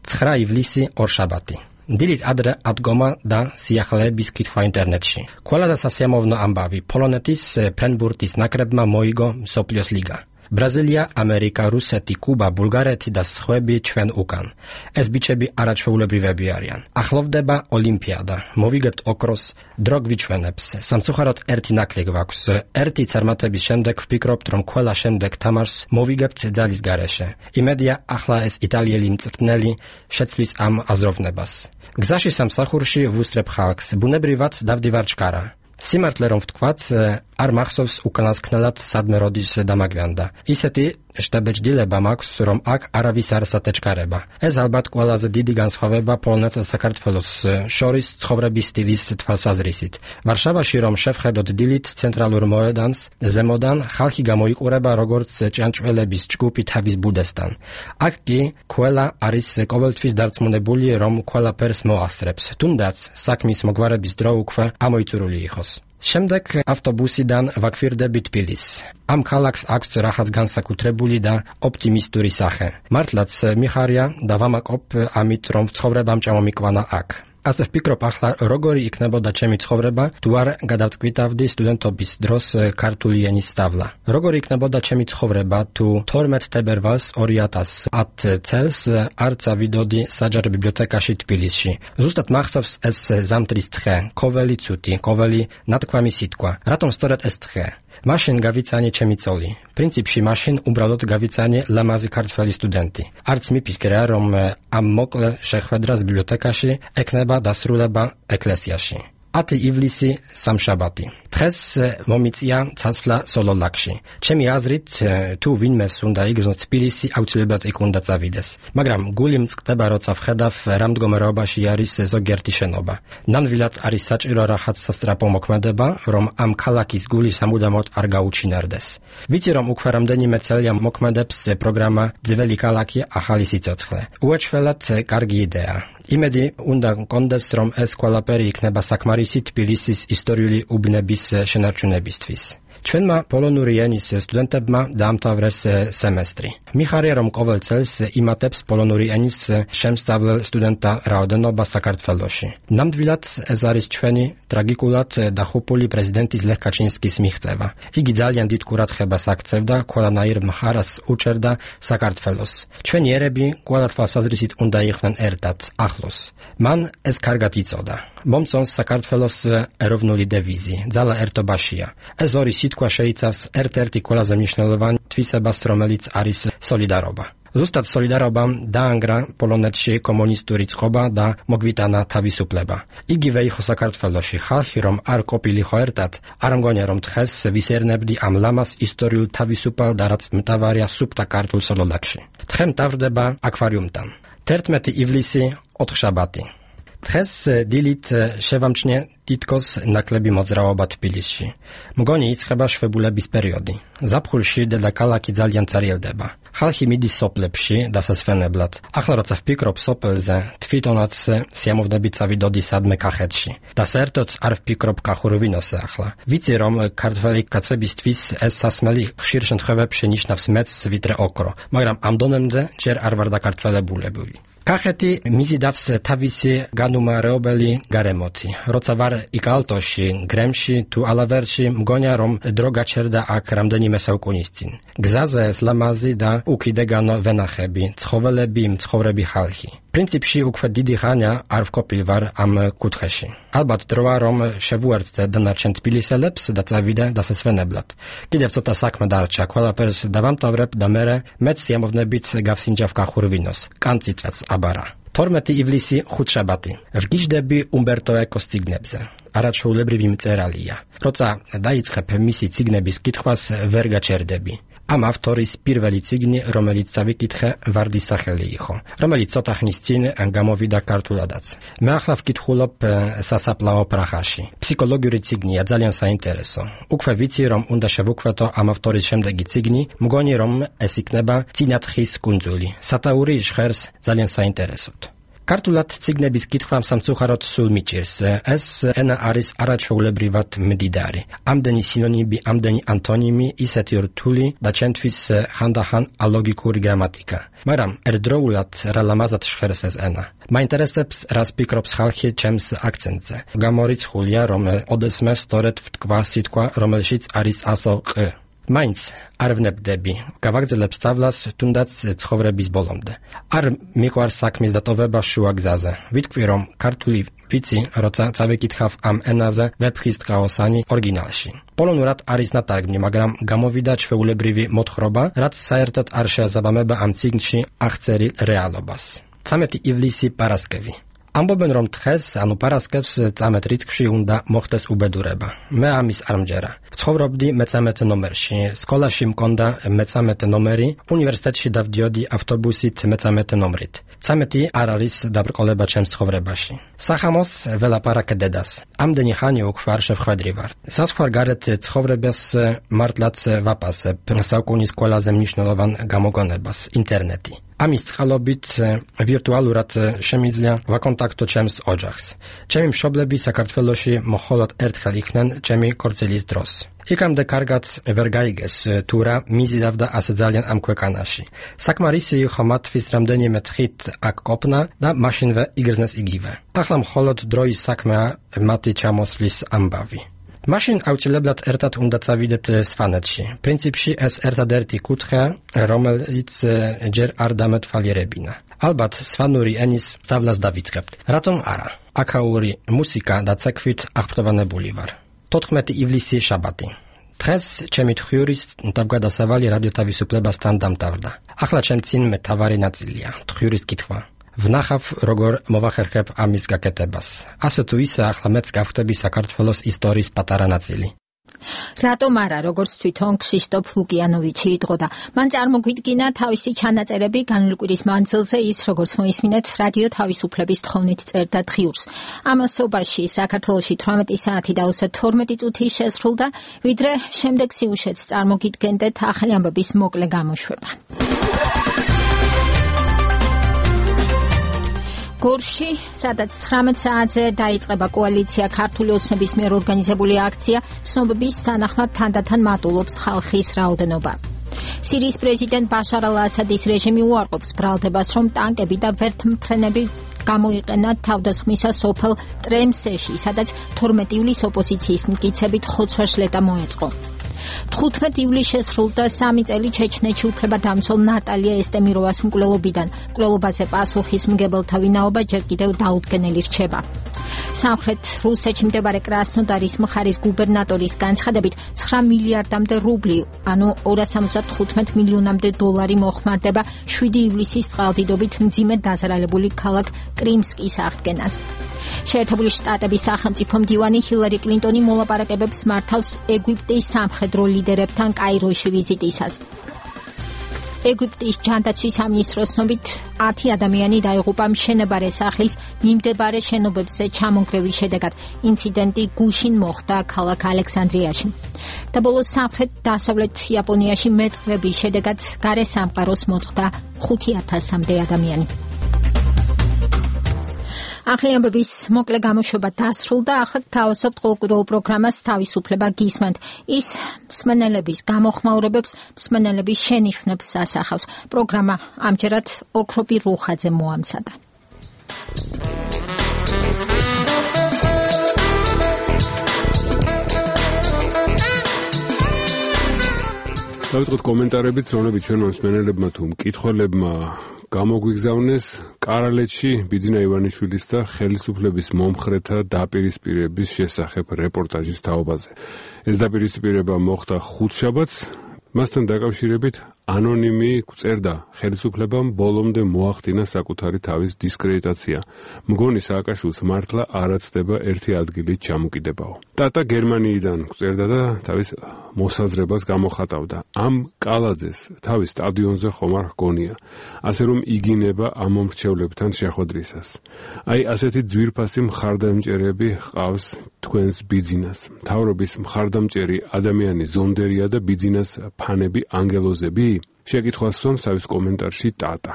9 ივლისი ორშაბათი. დილით ადრე ადგომა და სიახლეების კითხვა ინტერნეტში. ყველა და სასიამოვნო ამბავი. პოლონეთის ფრენბურთის ნაკრებმა მოიგო მსოფლიოს ლიგა. ბრაზილია, ამერიკა, რუსეთი, კუბა, ბულგარეთი და სხვები ჩვენ უკან. ეს ბიჭები არაჩვეულებრივები არიან. ახლოვდება ოლიმპიადა. მოვიგებთ ოქროს, დრო გვიჩვენებს. სამწუხაროდ ერთი ნაკლი გვაქვს. ერთი წარმატების შემდეგ ვფიქრობთ, რომ ყველა შემდეგ თამაშს მოვიგებთ ძალის გარეშე. იმედია, ახლა ეს იტალიელი მწვრთნელი შეცვლის ამ აზროვნებას. გზაში სამსახურში ვუსწრებ ხალხს. ბუნებრივად დავდივარ ჩქარა. სიმართლე რომ ვთქვათ, არ მახსოვს უკანასკნელად სადმე როდის დამაგვიანდა. ისეთი შტაბეჭდილება მაქვს, რომ აქ არავის არ სატეჩქარება. ეს ალბათ ყველაზე დიდი განსხვავება პოლონეთსა და საქართველოს შორის ცხოვრების სტილის თვალსაზრისით. ვარშავაში რომ შევხედოთ დილით ცენტრალურ მოედანს, ზემოდან ხალხი გამოიყურება როგორც ჭიანჭველების ჯგუფი თავის ბუდესთან. აქ კი ყველა არის ყოველთვის დარწმუნებული, რომ ყველაფერს მოასწრებს, თუნდაც საქმის მოგვარების დრო უკვე ამოიწურული იყოს. შემდეგ ავტობუსიდან ვაქვირდები თბილისს. ამ ქალაქს აქვს რაღაც განსაკუთრებული და ოპტიმისტური სახე. მართლაც მიხარია და ვამაყობ ამით, რომ ცხოვრებამ ჩამომიკვანა აქ. ასე ვფიქრობ, ახლა როგორი იქნებოდა ჩემი ცხოვრება, თუ არ გადავწყვიტავდი სტუდენტობის დროს ქართული ენის სწავლა. როგორი იქნებოდა ჩემი ცხოვრება, თუ 12 თებერვალს 2010 წელს არ წავიდოდი საჯარო ბიბლიოთეკაში თბილისში. ზუსტად მახსოვს ეს ზამთრის დღე, ყოველი ცუდი, ყოველი ნათქვამი სიტყვა. რატომ სწორედ ეს დღე? მაშინ გავიცანი ჩემი წოლი. პრინციპში მაშინ უბრალოდ გავიცანი ლამაზი ქართველი სტუდენტი. არც მიფიქრე, რომ ამ მოკლე შეხვედრას ბიბლიოთეკაში ექნება დასრულება ეკლესიაში. 10 ივლისი სამშაბათი. დღეს მომიწია ცაცვლა სოლოლაკში. ჩემი აზრით, თუ ვინმეს უნდა იგრძნოს თბილისი, აუცილებლად იქ უნდა წავიდეს. მაგრამ გული მწყდება, როცა ვხედავ რა მდგომარეობაში არის ზოგიერთი შენობა. ნამდვილად არის საჭირო რაღაც სასწრაფო მოქმედება, რომ ამ ქალაქის გული სამუდამოდ არ გაუჩინარდეს. ვიცი, რომ უკვე რამდენიმე წელია მოქმედებს პროგრამა ძველი ქალაქი ახალი სიცოცხლე. უეჩვენად კარგი იდეა. იმედი უნდა მქონდეს, რომ ეს ყველაფერი იქნება საკმარისი თბილისის ისტორიული უბნების შენარჩუნებისთვის. ჩვენმა პოლონური ენის სტუდენტებმა დაამთავრეს სემესტრი. მიხარია, რომ ყოველ წელს იმატებს პოლონური ენის შემსწავლელ სტუდენტთა რაოდენობა საქართველოში. ნამდვილად ეს არის ჩვენი ტრაგიკულად დახუპული პრეზიდენტის ლეხ კაჩინსკის მიღწევა. იგი ძალიან დიდ ყურადღებას აქცევდა ყველანაირ მხარეს უჭერდა საქართველოს. ჩვენი ერები ყველა თვალსაზრისით უნდა იყვნენ ერთად, ახლოს. მან ეს კარგად იწოდა. მომწონს საქართველოს ეროვნული დევიზი, ძალა ერთობაშია. ეს ორი სიტყვა შეიცავს ერთ-ერთი ყველაზე მნიშვნელოვანი თვისებას, რომელიც არის სოლიდარობა. ზუსტად სოლიდარობამ დაანგრა პოლონეთში კომუნისტური წყობა და მოგვიტანა თავისუფლება. იგივე იყო საქართველოში. ხალხი რომ არ ყოფილიყო ერთად, არ მგონია რომ დღეს ვისერნებდი ამ ლამას ისტორიულ თავისუფალ და რაც მთავარია სუფთა ქართულ სოლოლაკში. დღე მთავრდება აკვარიუმთან. 11 ივლისი ოთხშაბათი. დღეს დილით შევამჩნიე თითქოს ნაკლები მოძრაობა თბილისში. მგონი იწყება შვებულების პერიოდი. ზაფხულში დედაქალაქი ძალიან წარიელდება. ხალხი მიდის სოფლებში დასასვენებლად. ახლა როცა ვფიქრობ სოფელზე, თვითონაც სიამოვნებით წავიდოდი სადმე კახეთში. და საერთოდ არ ვფიქრობ კახურვინოზე ახლა. ვიცი რომ ქართველი კაცებისთვის ეს სასმელი ხშირ შემთხვევებში ნიშნავს მეც ვიდრე ოქრო, მაგრამ ამ დონემდე ჯერ არ ვარ დაკართველებული. კახეთი მიზიდავს თავისი განუმარეობელი გარემოთი. როცა ვარ იკალტოში, გრემში თუ ალავერში, მგონია რომ დრო გაჩერდა აქ რამდენიმე საუკუნის წინ. გზაზე ეს ლამაზი და უკიდეგანო ვენახები, ცხოველები, მცხოვრები ხალხი. პრინციპში უკვე დიდი ხანია არ ვყოფილი ვარ ამ კუთხეში. ალბათ დროა რომ შევუერთდე დანარჩენ თბილისელებს და წავიდე დასასვენებლად. კიდევ ცოტა საქმე დარჩა, ყველაფერს დავამთავრებ და მეც სიამოვნებით გავსინჯავ გახურვინოს. კანწითაც აბარა. 12 ივლისი ხუთშაბათი. ვგიჟდები უმბერტო ეკოს წიგნებზე. არაჩვეულებრივი მწერალია. როცა დაიწყებ მისი წიგნების კითხვას ვერ გაჩერდები. ამ ავტორის პირველი წიგნი, რომელიც წავიკითხე, ვარდის სახელი იყო, რომელიც ცოტა ხნის წინ გამოვიდა ქართულადაც. მე ახლა ვკითხულობ სასაფლაო პრაღაში. ფსიქოლოგიური წიგნია, ძალიან საინტერესო. უკვე ვიცი, რომ უნდა შევუქმედო ამ ავტორის შემდეგი წიგნი, მგონი რომ ეს იქნება წინათხის კუნძული. სათაური ჟღერს ძალიან საინტერესოდ. ქართულად წიგნების კითხვა სამწუხაროდ სულ მიჭირს. ეს ენა არის არაჩვეულებრივად მდიდარი. ამდენი სინონიმი, ამდენი ანტონიმი, ისეთი რთული და ჩემთვის ხანდახან ალოგიკური გრამატიკა. მაგრამ ერთდროულად რა ლამაზად ჟღერს ეს ენა. მაინტერესებს, რას ფიქრობს ხალხი ჩემს აქცენტზე. გამორიცხულია, რომ ოდესმე სწორედ ვთქვა სიტყვა, რომელშიც არის ასო ყ. მაინც არ ვნებდები, გავაგრძელებ სწავლას თუნდაც ცხოვრების ბოლომდე. არ მიყვარს საქმის დატოვება შუა გზაზე. ვიტყვი, რომ ქართული ვიცი, როცა წავიკითხავ ამ ენაზე ვეფხისტყაოსანი ორიგინალში. პოლონურად არის ნათარგმნი, მაგრამ გამოვიდა ჩვეულებრივი მოთხრობა, რაც საერთოდ არ შეესაბამება ამ წიგნში აღწერილ რეალობას. 13 ივლისი პარასკევი. ამბობენ, რომ დღეს, ანუ პარასკევს 13 რიცხვში უნდა მოხდეს უბედურება. მე ამის არ მჯერა. ვცხოვრობდი მე-13 ნომერში, სკოლაში მქონდა მე-13 ნომერი, უნივერსიტეტში დავდიოდი ავტობუსით მე-13 ნომრით. 13 არ არის დაბრკოლება ჩემს ცხოვრებაში. სახამოს ველაპარაკე დედას. ამდენი ხანი უკვე არ შევხვედრი ვარ. საზღვარგარეთ ცხოვრებას მართლაც ვაპასებ საუკუნის ყველაზე მნიშვნელოვან გამოგონებას, ინტერნეტი. ამის წყალობით ვირტუალურად შემიძლია ვაკონტაქტო ჩემს ოჯახს. ჩემი მშობლები საქართველოში მხოლოდ ერთხელ იქნენ ჩემი ქორწილის დროს. იქამდე კარგად ვერ გაიგეს თუ რა მიზიდავდა ასე ძალიან ამ ქვეყანაში. საკმარისი იყო მათთვის რამდენიმე დღით აქ ყოფნა და მაშინვე იგრძნეს იგივე. ახლა მხოლოდ დროის საქმეა მათი ჩამოსვლის ამბავი. მაშინ აუცილებლად ერთად უნდა წავიდეთ სვანეთში. პრინციპში ეს ერთადერთი კუთხეა, რომელიც ჯერ არ დამეთვალიერებინა. ალბათ სვანური ენის სწავლას დავიწყებთ. რატომ არა? აქაური მუსიკა და ცეკვით აღფრთოვანებული ვარ. 14 ივლისი შაბათი. დღეს ჩემი თხიურის თავგადასავალი რადიო თავისუფლებასთან დამთავრდა. ახლა ჩემ წინ მთავარი ნაწილია თხიურის კითხვა. ვნახავ, როგორ მოვახერხებ ამის გაკეთებას. ასე თუ ისე, ახლა მეც გავხდები საქართველოს ისტორიის პატარა ნაწილი. რატომ არა, როგორც თვითონ ქსისტოფ ლუკიანოვიჩი იტყოდა. მან წარმოგვიდგინა თავისი ჩანაწერები განვლი კვირის მანძილზე, ის როგორც მოისმინეთ, რადიო თავისუფლების თხოვნით წერდა თხიურს. ამასობაში საქართველოში 18 საათი და 32 წუთი შესრულდა, ვიდრე შემდეგ სიუჟეტს წარმოგიდგენდეთ ახალი ამბების მოკლე გამოშვება. გორში, სადაც 19 საათზე დაიწყება კოალიცია ქართული ოცნების მიერ ორგანიზებული აქცია, ცნობების თანახმად თანდათან მატულობს ხალხის რაოდენობა. სირიის პრეზიდენტ ბაშარ ალ-ასადის რეჟიმი უარყოფს ბრალდებას, რომ ტანკები და ვერთმფრენები გამოიყენა თავდასხმისა სოფელ ტრემსეში, სადაც 12 ივლისს ოპოზიციის მტკიცებით ხოცვა-შლეტა მოეწყო. 15 ივლისს შესრულდა 3 წელი ჩეჩნეთში უფლებადამცველ ნატალია ესტემიროვას მკვლელობიდან. მკვლელობაზე პასუხისმგებელთა ვინაობა ჯერ კიდევ დაუდგენელი რჩება. სამხრეთ რუსეთში მდებარე კრასნოდარის მხარის გუბერნატორის განცხადებით 9 მილიარდამდე რუბლი, ანუ 275 მილიონამდე დოლარი მოხმარდება 7 ივლისის წყალდიდობით მძიმე დაზარალებული ქალაქ კრიმსკის აღდგენას. შეერთებული შტატების სახელმწიფო მდივანი ჰილარი კლინტონი მოლაპარაკებებს მართავს ეგვიპტის სამხედრო ლიდერებთან კაიროში ვიზიტისას. ეგვიპტის ჯანდაცვის სამინისტროს ცნობით 10 ადამიანი დაიღუპა მშენებარე სახლის მიმდებარე შენობებზე ჩამონგრევის შედეგად. ინციდენტი გუშინ მოხდა ქალაქ ალექსანდრიაში. და ბოლოს სამხრეთ-დასავლეთ იაპონიაში მეწყრების შედეგად გარე სამყაროს მოწყდა 5000-მდე ადამიანი. ახალი ამბების მოკლე გამოშვება დასრულდა. ახლა თავისუფლ ყოველკვირეულ პროგრამას თავისუფლება გისმენთ. ის მსმენელების გამოხმაურებებს, მსმენელების შენიშვნებს ასახავს. პროგრამა ამჯერად ოქროპი რუხაძე მოამზადა. დავიწყოთ კომენტარებით, რომლებიც ჩვენ მოსმენელებმა თუ მკითხველებმა გამოგვიგზავნეს კარალეთში ბიძინა ივანიშვილის და ხელისუფლების მომხრეთა დაპირისპირების შესახებ რეპორტაჟის თაობაზე. ეს დაპირისპირება მოხდა ხუთშაბათს, მასთან დაკავშირებით ანონიმი წერდა ხელისუფლებამ ბოლომდე მოახდინა საკუთარი თავის დისკრედიტაცია. მგონი სააკაშვილს მართლა არაცდება ერთი ადგილით ჩამოკიდებაო. ტატა გერმანიიდან წერდა და თავის მოსაზრებას გამოხატავდა. ამ კალაძეს თავის სტადიონზე ხომ არ ჰგონია, ასე რომ იგინება ამ მომრჩევლებთან შეხვედრისას. აი ასეთი ძვირფასი მხარდამჭერები ჰყავს თქვენს ბიძინას. მთავრობის მხარდამჭერი ადამიანი ზონდერია და ბიძინას ფანები ანგელოზები? შეკითხვას სვამს თავის კომენტარში ტატა.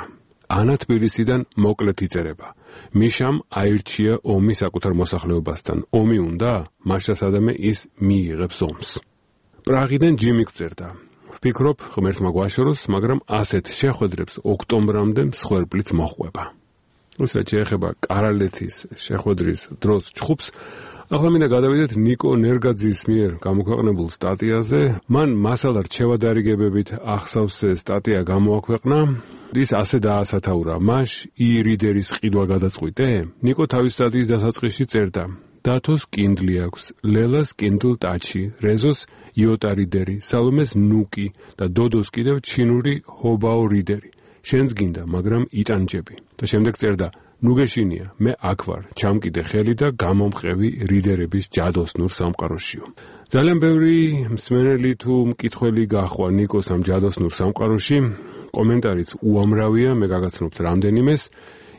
ანა თბილისიდან მოკლედ იწერება. მიშამ აირჩია ომი საკუთარ მოსახლეობასთან. ომი უნდა? მაშა სადამე ის მიიღებს ომს. პრაღიდან ჯიმი წერდა. ვფიქრობ, ღმერთმა გვაშოროს, მაგრამ ასეთ შეხვედრებს ოქტომბრამდე მსხვერპლიც მოჰყვება. უბრალოდ შეეხება კარალეთის შეხვედრის დროს ჩხუბს. ახლა მინდა გადავიდეთ ნიკო ნერგაძის მიერ გამოქვეყნებულ სტატიაზე. მან მასალა რჩევადარიგებებით ახსავს სტატია გამოაქვეყნა. ის ასე დაასათაურა: მაშ ირიდერის ყიდვა გადაწყვიტე? ნიკო თავის სტატიის დასაწყისში წერდა: დათოს კინდლი აქვს, ლელას კინდლ ტაჩი, რეზოს იოტა რიდერი, სალომეს ნუკი და დოდოს კიდევ ჩინური ჰობაო რიდერი. შენს გინდა, მაგრამ იტანჯები. და შემდეგ წერდა: ნუგეშინია, მე აქ ვარ, ჩამკიდე ხელი და გამომყევი რიდერების ჯადოსნურ სამყაროშიო. ძალიან ბევრი მსმენელი თუ მკითხველი გაჰყვა ნიკოს ამ ჯადოსნურ სამყაროში. კომენტარიც უამრავია, მე გაგაცნობთ რამდენიმეს.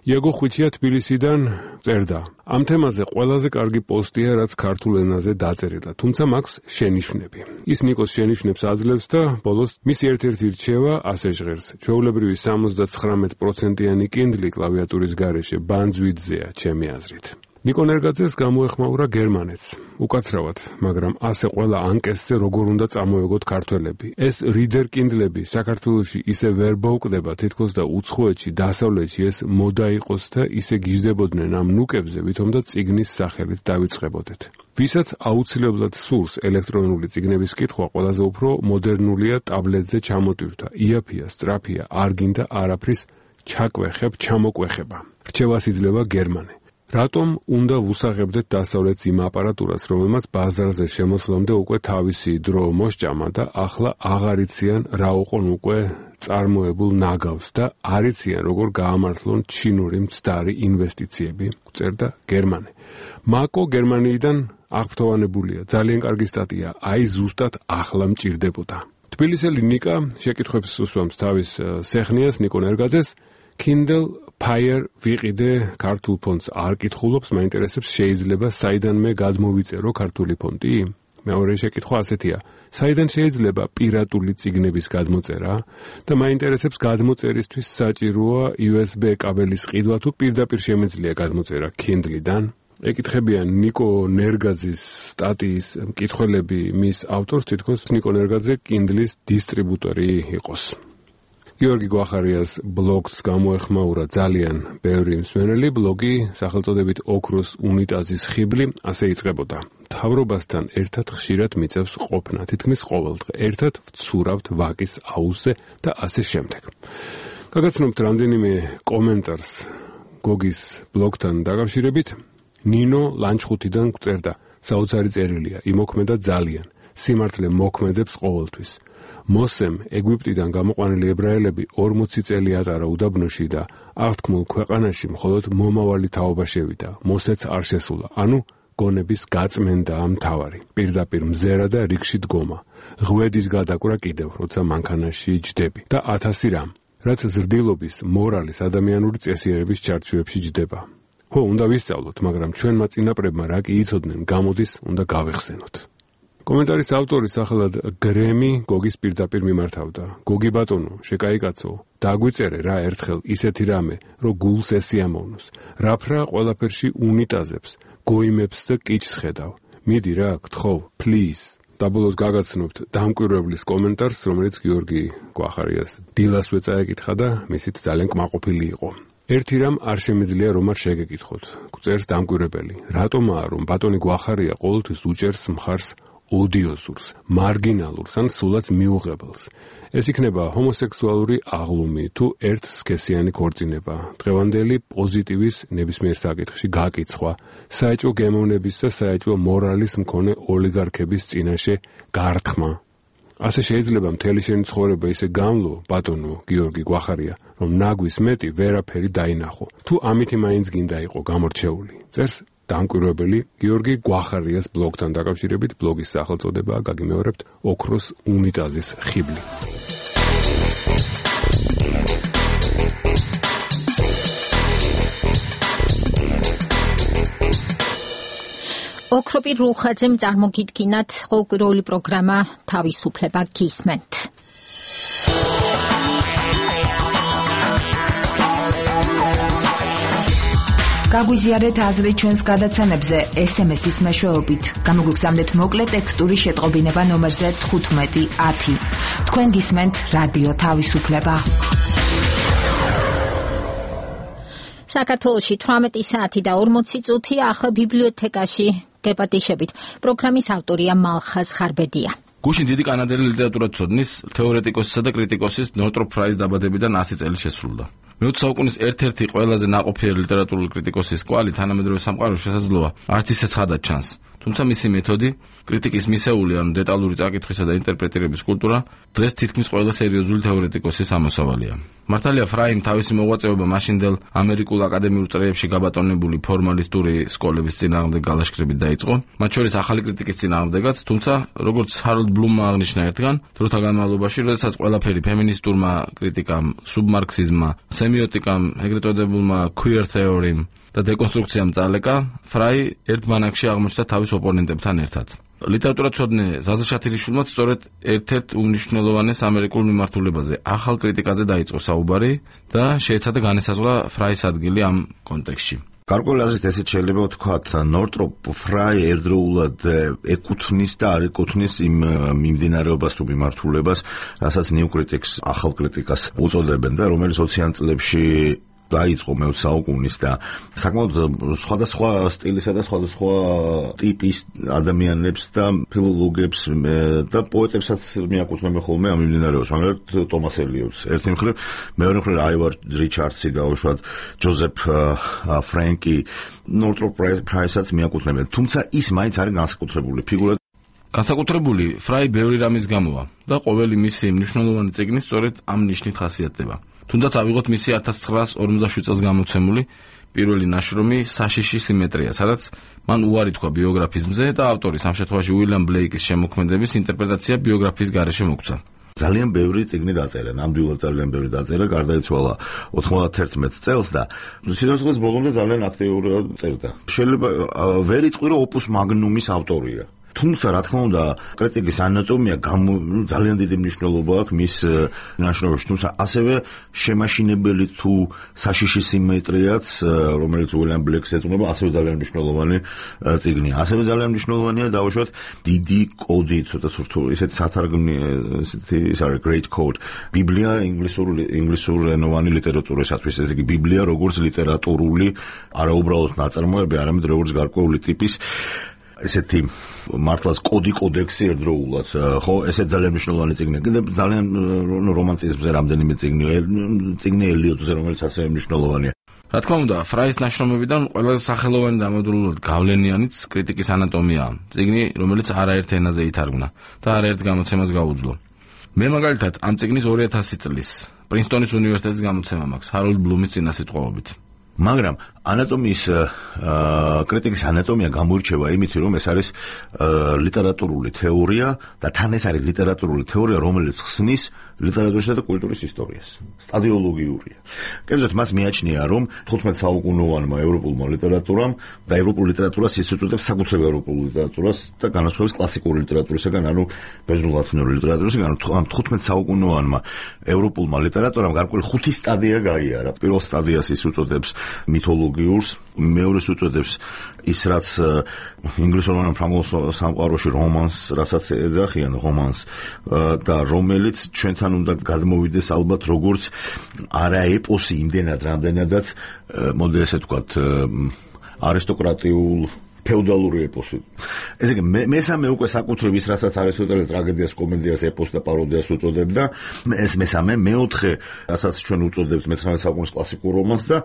იაგო ხვიჩია თბილისიდან წერდა: ამ თემაზე ყველაზე კარგი პოსტია, რაც ქართულ ენაზე დაწერილა, თუმცა მაქვს შენიშვნები. ის ნიკოს შენიშვნებს აძლევს და ბოლოს მისი ერთ-ერთი რჩევა ასე ჟღერს: ჩვეულებრივი 79%-იანი კინდლი კლავიატურის გარეშე ბანძვიდზეა, ჩემი აზრით. ნიკო ნერგაძეს გამოეხმაურა გერმანეთს. უკაცრავად, მაგრამ ასე ყველა ანკესზე როგორ უნდა წამოეგოთ ქართველები. ეს რიდერ კინდლები საქართველოში ისე ვერ ბოუკდება, თითქოს და უცხოეთში, დასავლეთში ეს მოდა იყოს და ისე გიждდებოდნენ ამ ნუკებზე, ვითომდა წიგნის სახელით დავიწყებოდეთ. ვისაც აუცილებლად სურს ელექტრონული წიგნების კითხვა, ყველაზე უფრო მოდერნულია ტაბლეტზე ჩამოტვირთვა. იაფია, სწრაფია, არ გინდა არაფრის ჩაკვეხებ, ჩამოკვეხება. რჩევას იძლევა გერმანე. რატომ უნდა ვუსაღებდეთ დასავლეთს იმ აპარატურას, რომელმაც ბაზარზე შემოსვლამდე უკვე თავისი დრო მოსჭამა და ახლა აღარ იციან რა უყონ უკვე წარმოებულ ნაგავს და არ იციან როგორ გაამართლონ ჩინური მცდარი ინვესტიციები, წერდა გერმანე. მაკო გერმანიიდან აღფრთოვანებულია, ძალიან კარგი სტატია, აი ზუსტად ახლა მჭირდებოდა. თბილისელი ნიკა შეკითხვებს უსვამს თავის სეხნიას ნიკო ნერგაძეს. Kindle Fire ვიყიდე ქართულ ფონტს არ კითხულობს, მაინტერესებს შეიძლება საიდანმე გადმოვიწერო ქართული ფონტი? მეორე შეკითხვა ასეთია: საიდან შეიძლება პირატული წიგნების გადმოწერა? და მაინტერესებს გადმოწერისთვის საჭიროა USB კაბელის ყიდვა თუ პირდაპირ შემეძლია გადმოწერა Kindle-დან? ეკითხებიან ნიკო ნერგაძის სტატიის მკითხველები მის ავტორს, თითქოს ნიკო ნერგაძე Kindle-ის დისტრიბუტორი იყოს. გიორგი გვახარიას ბლოგს გამოეხმაურა ძალიან ბევრი მსმენელი. ბლოგი სახელწოდებით ოქროს უნიტაზის ხიბლი ასე იწყებოდა: მთავრობასთან ერთად ხშირად მიწევს ყოფნა, თითქმის ყოველდღე ერთად ვცურავთ ვაკის აუზზე და ასე შემდეგ. გაგაცნობთ რამდენიმე კომენტარს გოგის ბლოგთან დაკავშირებით. ნინო ლანჩხუთიდან წერდა: საოცარი წერილია, იმოქმედა ძალიან, სიმართლე მოქმედებს ყოველთვის. მოსემ ეგვიპტიდან გამოყვანილი ებრაელები 40 წელი ატარა უდაბნოში და აღთქმულ ქვეყანაში მხოლოდ მომავალი თაობა შევიდა. მოსეც არ შესულა. ანუ გონების გაწმენდაა მთავარი. პირდაპირ მზერა და რიგში დგომა. ღვედის გადაკვრა კიდევ, როცა მანქანაში ჯდები და 1000 რამ, რაც ზრდილობის, მორალის, ადამიანური წესიერების ჩარჩოებში ჯდება. ხო, უნდა ვისწავლოთ, მაგრამ ჩვენმა წინაპრებმა რა კი იცოდნენ, გამოდის, უნდა გავეხსენოთ. კომენტარის ავტორი სახელად გრემი გოგის პირდაპირ მიმართავდა: გოგი ბატონო, შეკაიკაცო, დაგვიწერე რა ერთხელ ისეთი რამე, რომ გულს ესიამოვნოს. რაფრა ყველაფერში უნიტაზებს, გოიმებს და კიჩს ხედავ. მიდი რა, გთხოვ, please. და ბოლოს გაგაცნობთ დამკვირვებლის კომენტარს, რომელიც გიორგი გვახარიას დილასვე წაეკითხა და მისით ძალიან კმაყოფილი იყო. ერთი რამ არ შემიძლია რომ არ შეგეკითხოთ. წერს დამკვირვებელი: რატომაა რომ ბატონი გვახარია ყოველთვის უჭერს მხარს ოდიოზურს, მარგინალურს ან სულაც მიუღებელს. ეს იქნება ჰომოსექსუალური აღლუმი თუ ერთსქესიანი ქორწინება, დღევანდელი პოზიტივის ნებისმიერ საკითხში გაკიცხვა, საეჭვო გემოვნების და საეჭვო მორალის მქონე ოლიგარქების წინაშე გართხმა. ასე შეიძლება მთელი შენი ცხოვრება ისე გამლო, ბატონო გიორგი გვახარია, რომ ნაგვის მეტი ვერაფერი დაინახო. თუ ამითი მაინც გინდა იყო გამორჩეული. წერს დამკვირვებელი გიორგი გვახარიას ბლოგთან დაკავშირებით, ბლოგის სახელწოდებაა გაგიმეორებთ ოქროს უნიტაზის ხიბლი. ოქროპირ რუხაძემ წარმოგიდგინათ ყოველკვირეული პროგრამა თავისუფლება გისმენთ. გაგვიზიარეთ აზრი ჩვენს გადაცემებზე SMS-ის მეშვეობით. გამოგვიგზავნეთ მოკლე ტექსტური შეტყობინება ნომერზე 1510. თქვენ გისმენთ რადიო თავისუფლება. საქართველოში 18 საათი და 40 წუთი ახლა ბიბლიოთეკაში გეპატიშებით. პროგრამის ავტორია მალხაზ ხარბედია. გუშინ დიდი კანადელი ლიტერატურათმცოდნის, თეორეტიკოსისა და კრიტიკოსის ნორტროპ ფრაის დაბადებიდან 100 წელი შესრულდა. მე-20 საუკუნის ერთ-ერთი ყველაზე ნაყოფიერი ლიტერატურული კრიტიკოსის კვალი თანამედროვე სამყაროში შესაძლოა არც ისე ცხადად ჩანს. თუმცა მისი მეთოდი, კრიტიკის მისეული ან დეტალური წაკითხვისა და ინტერპრეტირების კულტურა დღეს თითქმის ყველა სერიოზული თეორეტიკოსის ამოსავალია. მართალია ფრაიმ თავისი მოღვაწეობა მაშინდელ ამერიკულ აკადემიურ წრეებში გაბატონებული ფორმალისტური სკოლების წინააღმდეგ გალაშქრებით დაიწყო, მათ შორის ახალი კრიტიკის წინააღმდეგაც, თუმცა როგორც ჰაროლდ ბლუმმა აღნიშნა ერთგან, დროთა განმავლობაში, როდესაც ყველაფერი ფემინისტურმა კრიტიკამ, სუბმარქსიზმმა, სემიოტიკამ, ეგრეთ წოდებულმა queer theory-მ და დეკონსტრუქციამ წალეკა, ფრაი ერთ ბანაკში აღმოჩნდა თავის ოპონენტებთან ერთად. ლიტერატურათმცოდნე ზაზა შათილიშვილმაც სწორედ ერთ-ერთ უმნიშვნელოვანეს ამერიკულ მიმართულებაზე, ახალ კრიტიკაზე დაიწყო საუბარი და შეეცადა განესაზღვრა ფრაის ადგილი ამ კონტექსტში. გარკვეული აზრით ესეც შეიძლება ვთქვათ, ნორტროპ ფრაი ერთდროულად ეკუთვნის და არ ეკუთვნის იმ მიმდინარეობას თუ მიმართულებას, რასაც ნიუ კრიტიკს, ახალ კრიტიკას უწოდებენ და რომელიც 20-იან წლებში დაიწყო მე-20 საუკუნის და საკმაოდ სხვადასხვა სტილისა და სხვადასხვა ტიპის ადამიანებს და ფილოლოგებს და პოეტებსაც მიაკუთვნებენ ხოლმე ამ მიმდინარეობას, მაგალითად ტომას ელიოტს. ერთი მხრივ, მეორე მხრივ აივარ რიჩარდსი და უშუალოდ ჯოზეფ ფრენკი ნორტროპ ფრაისაც მიაკუთვნებენ. თუმცა ის მაინც არის განსაკუთრებული ფიგურა. განსაკუთრებული ფრაი ბევრი რამის გამოა და ყოველი მისი მნიშვნელოვანი წიგნი სწორედ ამ ნიშნით ხასიათდება. თუნდაც ავიღოთ მისი 1947 წელს გამოცემული პირველი ნაშრომი საშიში სიმეტრია, სადაც მან უარი თქვა ბიოგრაფიზმზე და ავტორის ამ შემთხვევაში უილიამ ბლეიკის შემოქმედების ინტერპრეტაცია ბიოგრაფიის გარეშე მოგვცა. ძალიან ბევრი წიგნი დაწერა, ნამდვილად ძალიან ბევრი დაწერა, გარდაიცვალა 91 წელს და სიცოცხლის ბოლომდე ძალიან აქტიურად წერდა. შეიძლება ვერ იტყვი, რომ ოპუს მაგნუმის ავტორია. თუმცა, რა თქმა უნდა, კრიტიკის ანატომია ძალიან დიდი მნიშვნელობა აქვს მის ნაშრომებში, თუმცა ასევე შემაშინებელი თუ საშიში სიმეტრიაც, რომელიც უილიამ ბლეკს ეძღვნება, ასევე ძალიან მნიშვნელოვანი წიგნია. ასევე ძალიან მნიშვნელოვანია დაუშვათ დიდი კოდი, ცოტა სრულ ისეთი სათარგმნი, ის არის Great Code. ბიბლია ინგლისურენოვანი ლიტერატურისათვის, ესე იგი ბიბლია როგორც ლიტერატურული, არა უბრალოდ ნაწარმოები, არამედ როგორც გარკვეული ტიპის ესეთი მართლაც კოდექსი ერთდროულად, ხო, ესე ძალიან მნიშვნელოვანი წიგნია. კიდე ძალიან რომანტიზმზე რამდენიმე წიგნი ელიოტზე, რომელიც ასევე მნიშვნელოვანია. რა თქმა უნდა, ფრაის ნაშრომებიდან ყველაზე სახელოვანი და ამოდროულად გავლენიანიც კრიტიკის ანატომიაა. წიგნი, რომელიც არაერთ ენაზე ითარგმნა და არაერთ გამოცემას გაუძლო. მე მაგალითად ამ წიგნის 2000 წლის პრინსტონის უნივერსიტეტის გამოცემა მაქვს, ჰაროლდ ბლუმის წინასიტყვაობით. მაგრამ ანატომიის კრიტიკის ანატომია გამოირჩევა იმით, რომ ეს არის ლიტერატურული თეორია და თან ეს არის ლიტერატურული თეორია, რომელიც ხსნის ლიტერატურისა და კულტურის ისტორიას. სტადიოლოგიურია. კერძოდ მას მიაჩნია, რომ 15 საუკუნოვანმა ევროპულმა ლიტერატურამ და ევროპულ ლიტერატურას ის უწოდებს საკუთრივ ევროპულ ლიტერატურას და განასხვავებს კლასიკური ლიტერატურისგან, ანუ ბერძნულ-ლათინური ლიტერატურისგან. ამ 15 საუკუნოვანმა ევროპულმა ლიტერატურამ გარკვეული 5 სტადია გაიარა. პირველ სტადიას ის უწოდებს მითოლოგიურს, მეორეს უწოდებს ის რაც ინგლისურენოვან ფრანგულ სამყაროში რომანს, რასაც ეძახიან რომანს და რომელიც ჩვენთან უნდა გადმოვიდეს ალბათ როგორც არა ეპოსი იმდენად რამდენადაც მოდი ესე ვთქვათ არისტოკრატიულ ფეოდალური ეპოსი. ესე იგი მესამე უკვე საკუთრივ ის რასაც არისტოტელე ტრაგედიას, კომედიას, ეპოსს და პაროდიას უწოდებდა, ეს მესამე, მეოთხე, რასაც ჩვენ უწოდებთ მე-19 საუკუნის კლასიკურ რომანს და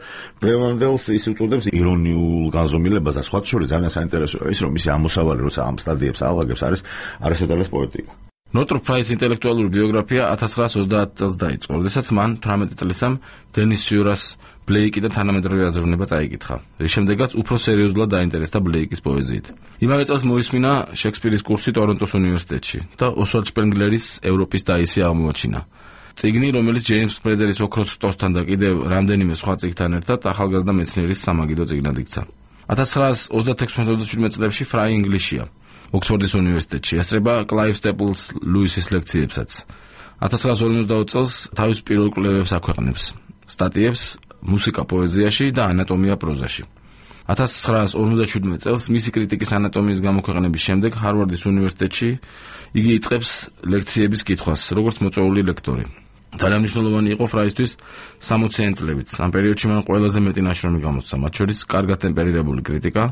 დღევანდელს ის უწოდებს ირონიულ განზომილებას და სხვა შორის ძალიან საინტერესოა ის, რომ მისი ამოსავალი როცა ამ სტადიებს ავაგებს არის არისტოტელეს პოეტიკა. ნორტროპ ფრაის ინტელექტუალური ბიოგრაფია 1930 წელს დაიწყო, როდესაც მან 18 წლისამ დენის სიურას ბლეიკიდან თანამედროვე აზროვნება წაიკითხა, რის შემდეგაც უფრო სერიოზულად დაინტერესდა ბლეიკის პოეზიით. იმავე წელს მოისმინა შექსპირის კურსი ტორონტოს უნივერსიტეტში და ოსვალდ შპენგლერის ევროპის დაისი აღმოაჩინა. წიგნი, რომელიც ჯეიმს ფრეზერის ოქროს რტოსთან და კიდევ რამდენიმე სხვა წიგნთან ერთად ახალგაზრდა მეცნიერის სამაგიდო წიგნად იქცა. 1936-37 წლებში ფრაი ინგლისშია, ოქსფორდის უნივერსიტეტში, ესწრება კლაივ სტეპლს ლუისის ლექციებსაც. 1950 წელს თავის პირველ კვლევებს აქვეყნებს, სტატიებს მუსიკა პოეზიაში და ანატომია პროზაში. 1957 წელს მისი კრიტიკის ანატომიის გამოქვეყნების შემდეგ ჰარვარდის უნივერსიტეტში იგი იწყებს ლექციების კითხვას, როგორც მოწვეული ლექტორი. ძალიან მნიშვნელოვანი იყო ფრაისთვის 60-იან წლებიც. ამ პერიოდში მან ყველაზე მეტი ნაშრომი გამოსცა, მათ შორის კარგად ტემპერირებული კრიტიკა,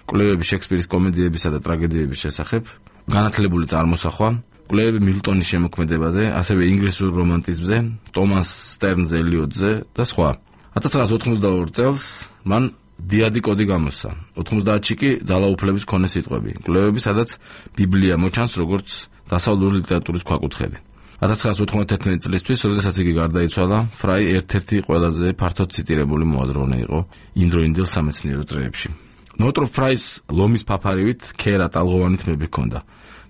კვლევები შექსპირის კომედიებისა და ტრაგედიების შესახებ, განათლებული წარმოსახვა, კვლევები მილტონის შემოქმედებაზე, ასევე ინგლისურ რომანტიზმზე, ტომას სტერნს ელიოტზე და სხვა. 1982 წელს მან დიადი კოდი გამოსცა. 90-ში კი ძალაუფლების მქონე სიტყვები, კვლევები, სადაც ბიბლია მოჩანს როგორც დასავლური ლიტერატურის ქვაკუთხედი. 1991 წლისთვის, როდესაც იგი გარდაიცვალა, ფრაი ერთ-ერთი ყველაზე ფართოდ ციტირებული მოაზროვნე იყო იმდროინდელ სამეცნიერო წრეებში. ნორტროპ ფრაის ლომის ფაფარივით ქერა ტალღოვანი თმები ჰქონდა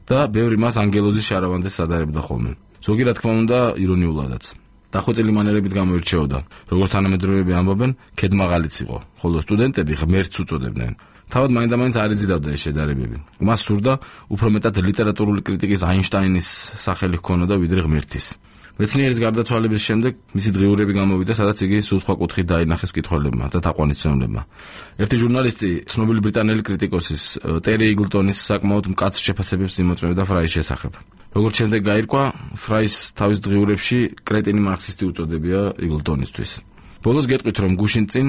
და ბევრი მას ანგელოზის შარავანდეს სადარებდა ხოლმე. ზოგი რა თქმა უნდა ირონიულადაც. დახვეწილი მანერებით გამოირჩეოდა, როგორც თანამედროვეები ამბობენ, ქედმაღალიც იყო, ხოლო სტუდენტები ღმერთს უწოდებდნენ. თავად მაინდა-მაინც არ იზიდავდა ეს შედარებები. მას სურდა უფრო მეტად ლიტერატურული კრიტიკის აინშტაინის სახელი ჰქონოდა ვიდრე ღმერთის. მეცნიერის გარდაცვალების შემდეგ მისი დღიურები გამოვიდა, სადაც იგი სულ სხვა კუთხით დაინახეს მკითხველებმა და თაყვანისმცემლებმა. ერთი ჟურნალისტი, ცნობილი ბრიტანელი კრიტიკოსის ტერი იგლტონის საკმაოდ მკაცრ შეფასებებს იმოწმებდა ფრაის შესახებ. როგორც შემდეგ გაირკვა, ფრაის თავის დღიურებში კრეტინი მარქსისტი უწოდებია იგლტონისთვის. ბოლოს გეტყვით, რომ გუშინ წინ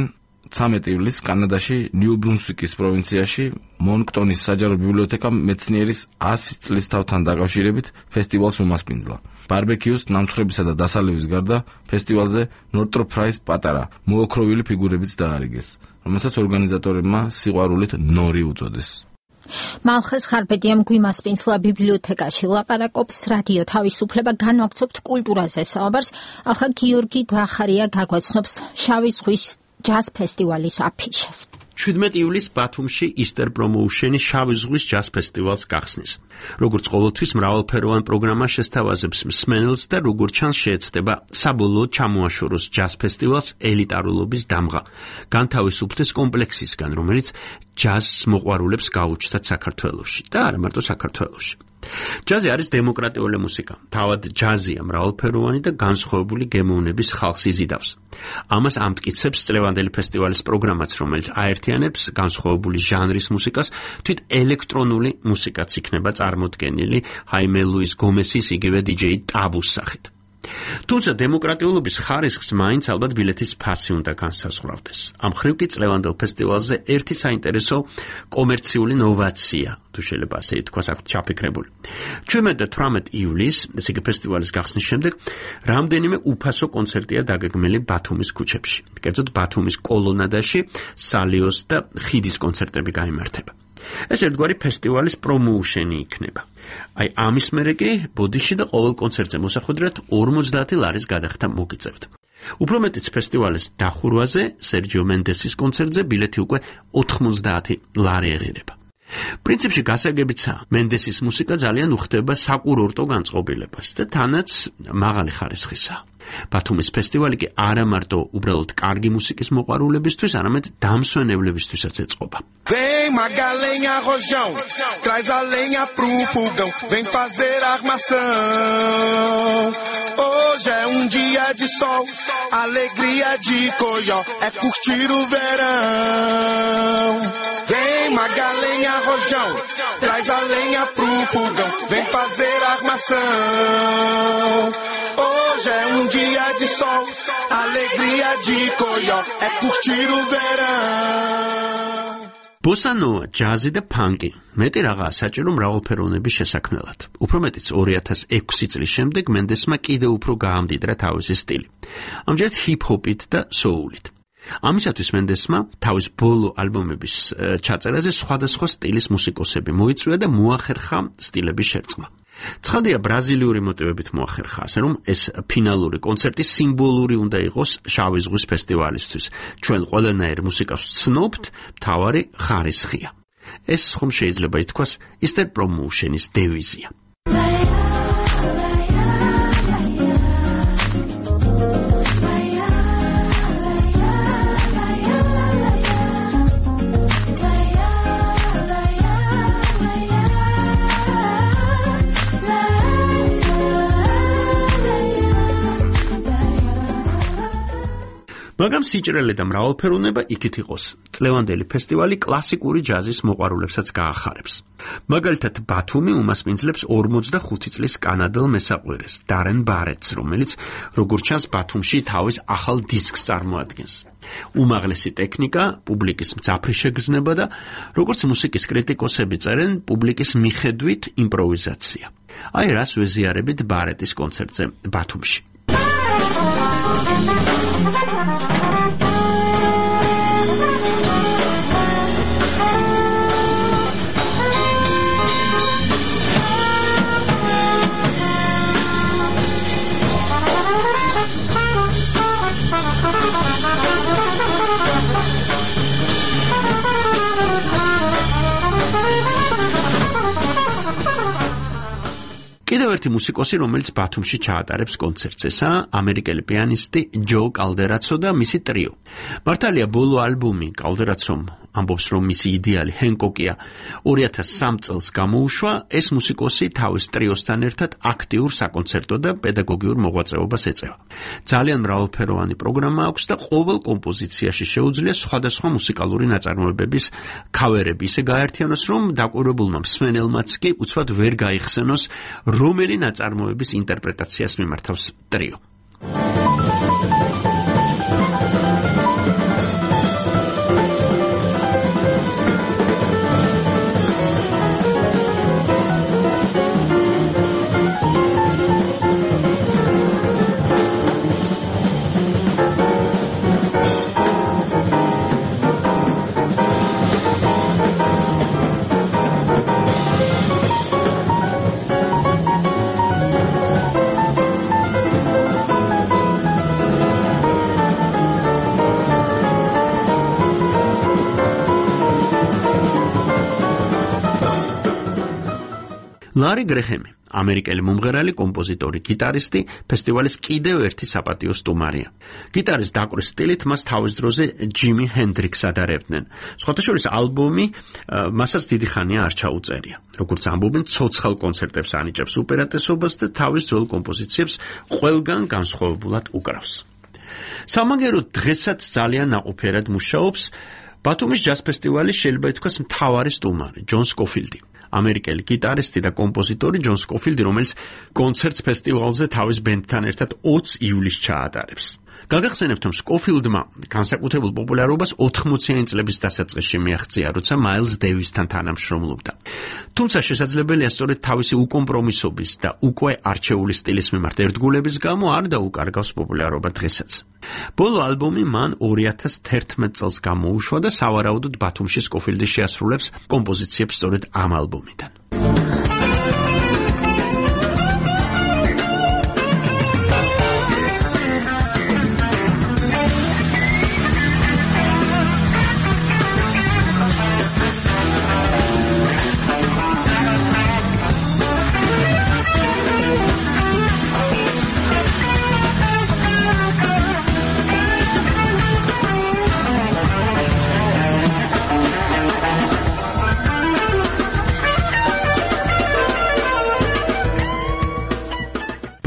13 ივლისს კანადაში ნიუ-ბრუნსვიკის პროვინციაში მონქტონის საჯარო ბიბლიოთეკამ მეცნიერის 100 წლის თავთან დაკავშირებით ფესტივალს უმასპინძლა. ბარბეკიუს, ნამთხრებისა და დასალევის გარდა ფესტივალზე ნორტროპ ფრაის პატარა, მოოქროვილი ფიგურებიც დაარიგეს, რომელსაც ორგანიზატორებმა სიყვარულით ნორი უწოდეს. მალხეს ხარბედიამ გვიმასპინძლა ბიბლიოთეკაში, ლაპარაკობს რადიო თავისუფლება, განვაგრძობთ კულტურაზე საუბარს. ახლა გიორგი გახარია გაგვაცნობს შავი ზღვის ჯაზ ფესტივალის აფიშას. 17 ივლისს ბათუმში Easter Promotion-ის შავი ზღვის ჯაზ ფესტივალს გახსნის. როგორც ყოველთვის მრავალფეროვან პროგრამა შესთავაზებს მსმენელს და როგორც ჩანს შეეცდება საბოლოოდ ჩამოაშოროს ჯაზ ფესტივალს ელიტარულობის დამღა. განთავისუფლდეს კომპლექსისგან, რომელიც ჯაზს მოყვარულებს გაუჩნდათ საქართველოში და არა მარტო საქართველოში. ჯაზი არის დემოკრატიული მუსიკა. თავად ჯაზია მრავალფეროვანი და განსხვავებული გემოვნების ხალხს იზიდავს. ამას ამტკიცებს წლევანდელი ფესტივალის პროგრამაც, რომელიც აერთიანებს განსხვავებული ჟანრის მუსიკას, თვით ელექტრონული მუსიკაც იქნება წარმოდგენილი ჰაიმე ლუის გომესის იგივე DJ ტაბუს სახით. თუმცა დემოკრატიულობის ხარისხს მაინც ალბათ ბილეთის ფასი უნდა განსაზღვრავდეს. ამ ხრივ კი წლევანდელ ფესტივალზე ერთი საინტერესო კომერციული ნოვაცია, თუ შეიძლება ასე ითქვას, აქვს ჩაფიქრებული. 17-18 ივლისს, ესე იგი ფესტივალის გახსნის შემდეგ, რამდენიმე უფასო კონცერტია დაგეგმილი ბათუმის ქუჩებში. კერძოდ ბათუმის კოლონადაში, სალიოს და ხიდის კონცერტები გაიმართება. ეს ერთგვარი ფესტივალის პრომოუშენი იქნება. აი ამის მერე კი ბოდიში და ყოველ კონცერტზე მოსახვედრად 50 ლარის გადახდა მოგიწევთ. უფრო მეტიც ფესტივალის დახურვაზე, სერჯიო მენდესის კონცერტზე ბილეთი უკვე 90 ლარი ეღირება. პრინციპში გასაგებიცაა, მენდესის მუსიკა ძალიან უხდება საკურორტო განწყობილებას და თანაც მაღალი ხარისხისაა. ბათუმის ფესტივალი კი არა მარტო უბრალოდ კარგი მუსიკის მოყვარულებისთვის, arამედ დამსვენებლებისთვისაც ეწყობა. Vem Magalenha Rojão, traz a lenha pro fogão, vem fazer armação. Hoje é dia de sol, alegria de Coió, é curtir o verão. Vem Magalenha Rojão, traz a lenha pro fogão, vem fazer armação. Hoje é dia de sol, alegria de Coió, é curtir o verão. ბოსა ნოვა, ჯაზი და ფანკი. მეტი რაღაცა საჭირო მრავალფეროვნების შესაქმნელად. უფრო მეტიც 2006 წლის შემდეგ მენდესმა კიდევ უფრო გაამდიდრა თავისი სტილი. ამჯერად ჰიპ-ჰოპით და სოულით. ამისათვის მენდესმა თავის ბოლო ალბომების ჩაწერაზე სხვადასხვა სტილის მუსიკოსები მოიწვია და მოახერხა სტილების შერწყმა. ცხადია ბრაზილიური მოტივებით მოახერხა, ასე რომ ეს ფინალური კონცერტი სიმბოლური უნდა იყოს შავი ზღვის ფესტივალისთვის. ჩვენ ყველანაირ მუსიკას ვცნობთ, მთავარი ხარისხია. ეს ხომ შეიძლება ითქვას Easter Promotion-ის დევიზია. მაგრამ სიჭრელე და მრავალფეროვნება იქით იყოს. წლევანდელი ფესტივალი კლასიკური ჯაზის მოყვარულებსაც გაახარებს. მაგალითად, ბათუმი უმასპინძლებს 45 წლის კანადელ მესაყვირეს, დარენ ბარეტს, რომელიც როგორც ჩანს ბათუმში თავის ახალ დისკს წარმოადგენს. უმაღლესი ტექნიკა, პუბლიკის მძაფრი შეგრძნება და როგორც მუსიკის კრიტიკოსები წერენ, პუბლიკის მიხედვით იმპროვიზაცია. აი რას ვეზიარებით ბარეტის კონცერტზე ბათუმში. კიდევ ერთი მუსიკოსი, რომელიც ბათუმში ჩაატარებს კონცერტს, ესაა ამერიკელი პიანისტი ჯო კალდერაცო და მისი ტრიო. მართალია ბოლო ალბომი კალდერაცომ ამბობს, რომ მისი იდეალი ჰენკოკია 2003 წელს გამოუშვა, ეს მუსიკოსი თავის ტრიოსთან ერთად აქტიურ საკონცერტო და პედაგოგიურ მოღვაწეობას ეწევა. ძალიან მრავალფეროვანი პროგრამა აქვს და ყოველ კომპოზიციაში შეუძლია სხვადასხვა მუსიკალური ნაწარმოებების ქავერები ისე გაერთიანოს, რომ დაკვირვებულმა მსმენელმაც კი უცბად ვერ გაიხსენოს, რომელი ნაწარმოების ინტერპრეტაციას მიმართავს ტრიო. ლარი გრეჰემი, ამერიკელი მომღერალი, კომპოზიტორი, გიტარისტი, ფესტივალის კიდევ ერთი საპატიო სტუმარია. გიტარის დაკვრის სტილით მას თავის დროზე ჯიმი ჰენდრიქსს ადარებდნენ. სხვათა შორის ალბომი მასაც დიდი ხანია არ ჩაუწერია. როგორც ამბობენ, ცოცხალ კონცერტებს ანიჭებს უპირატესობას და თავის ძველ კომპოზიციებს ყველგან განსხვავებულად უკრავს. სამაგერო დღესაც ძალიან ნაყოფიერად მუშაობს ბათუმის ჯაზ ფესტივალის შეიძლება ითქვას მთავარი სტუმარი, ჯონ სკოფილდი. ამერიკელი გიტარისტი და კომპოზიტორი ჯონ სკოფილდი, რომელიც კონცერტს ფესტივალზე თავის ბენდთან ერთად 20 ივლისს ჩაატარებს. გაგახსენებთ, რომ სკოფილდმა განსაკუთრებულ პოპულარობას 80-იანი წლების დასაწყისში მიაღწია, როცა მაილს დევისთან თანამშრომლობდა. თუმცა შესაძლებელია სწორედ თავისი უკომპრომისობის და უკვე არჩეული სტილის მიმართ ერთგულების გამო არ დაუკარგავს პოპულარობა დღესაც. ბოლო ალბომი მან 2011 წელს გამოუშვა და სავარაუდოდ ბათუმში სკოფილდი შეასრულებს კომპოზიციებს სწორედ ამ ალბომიდან.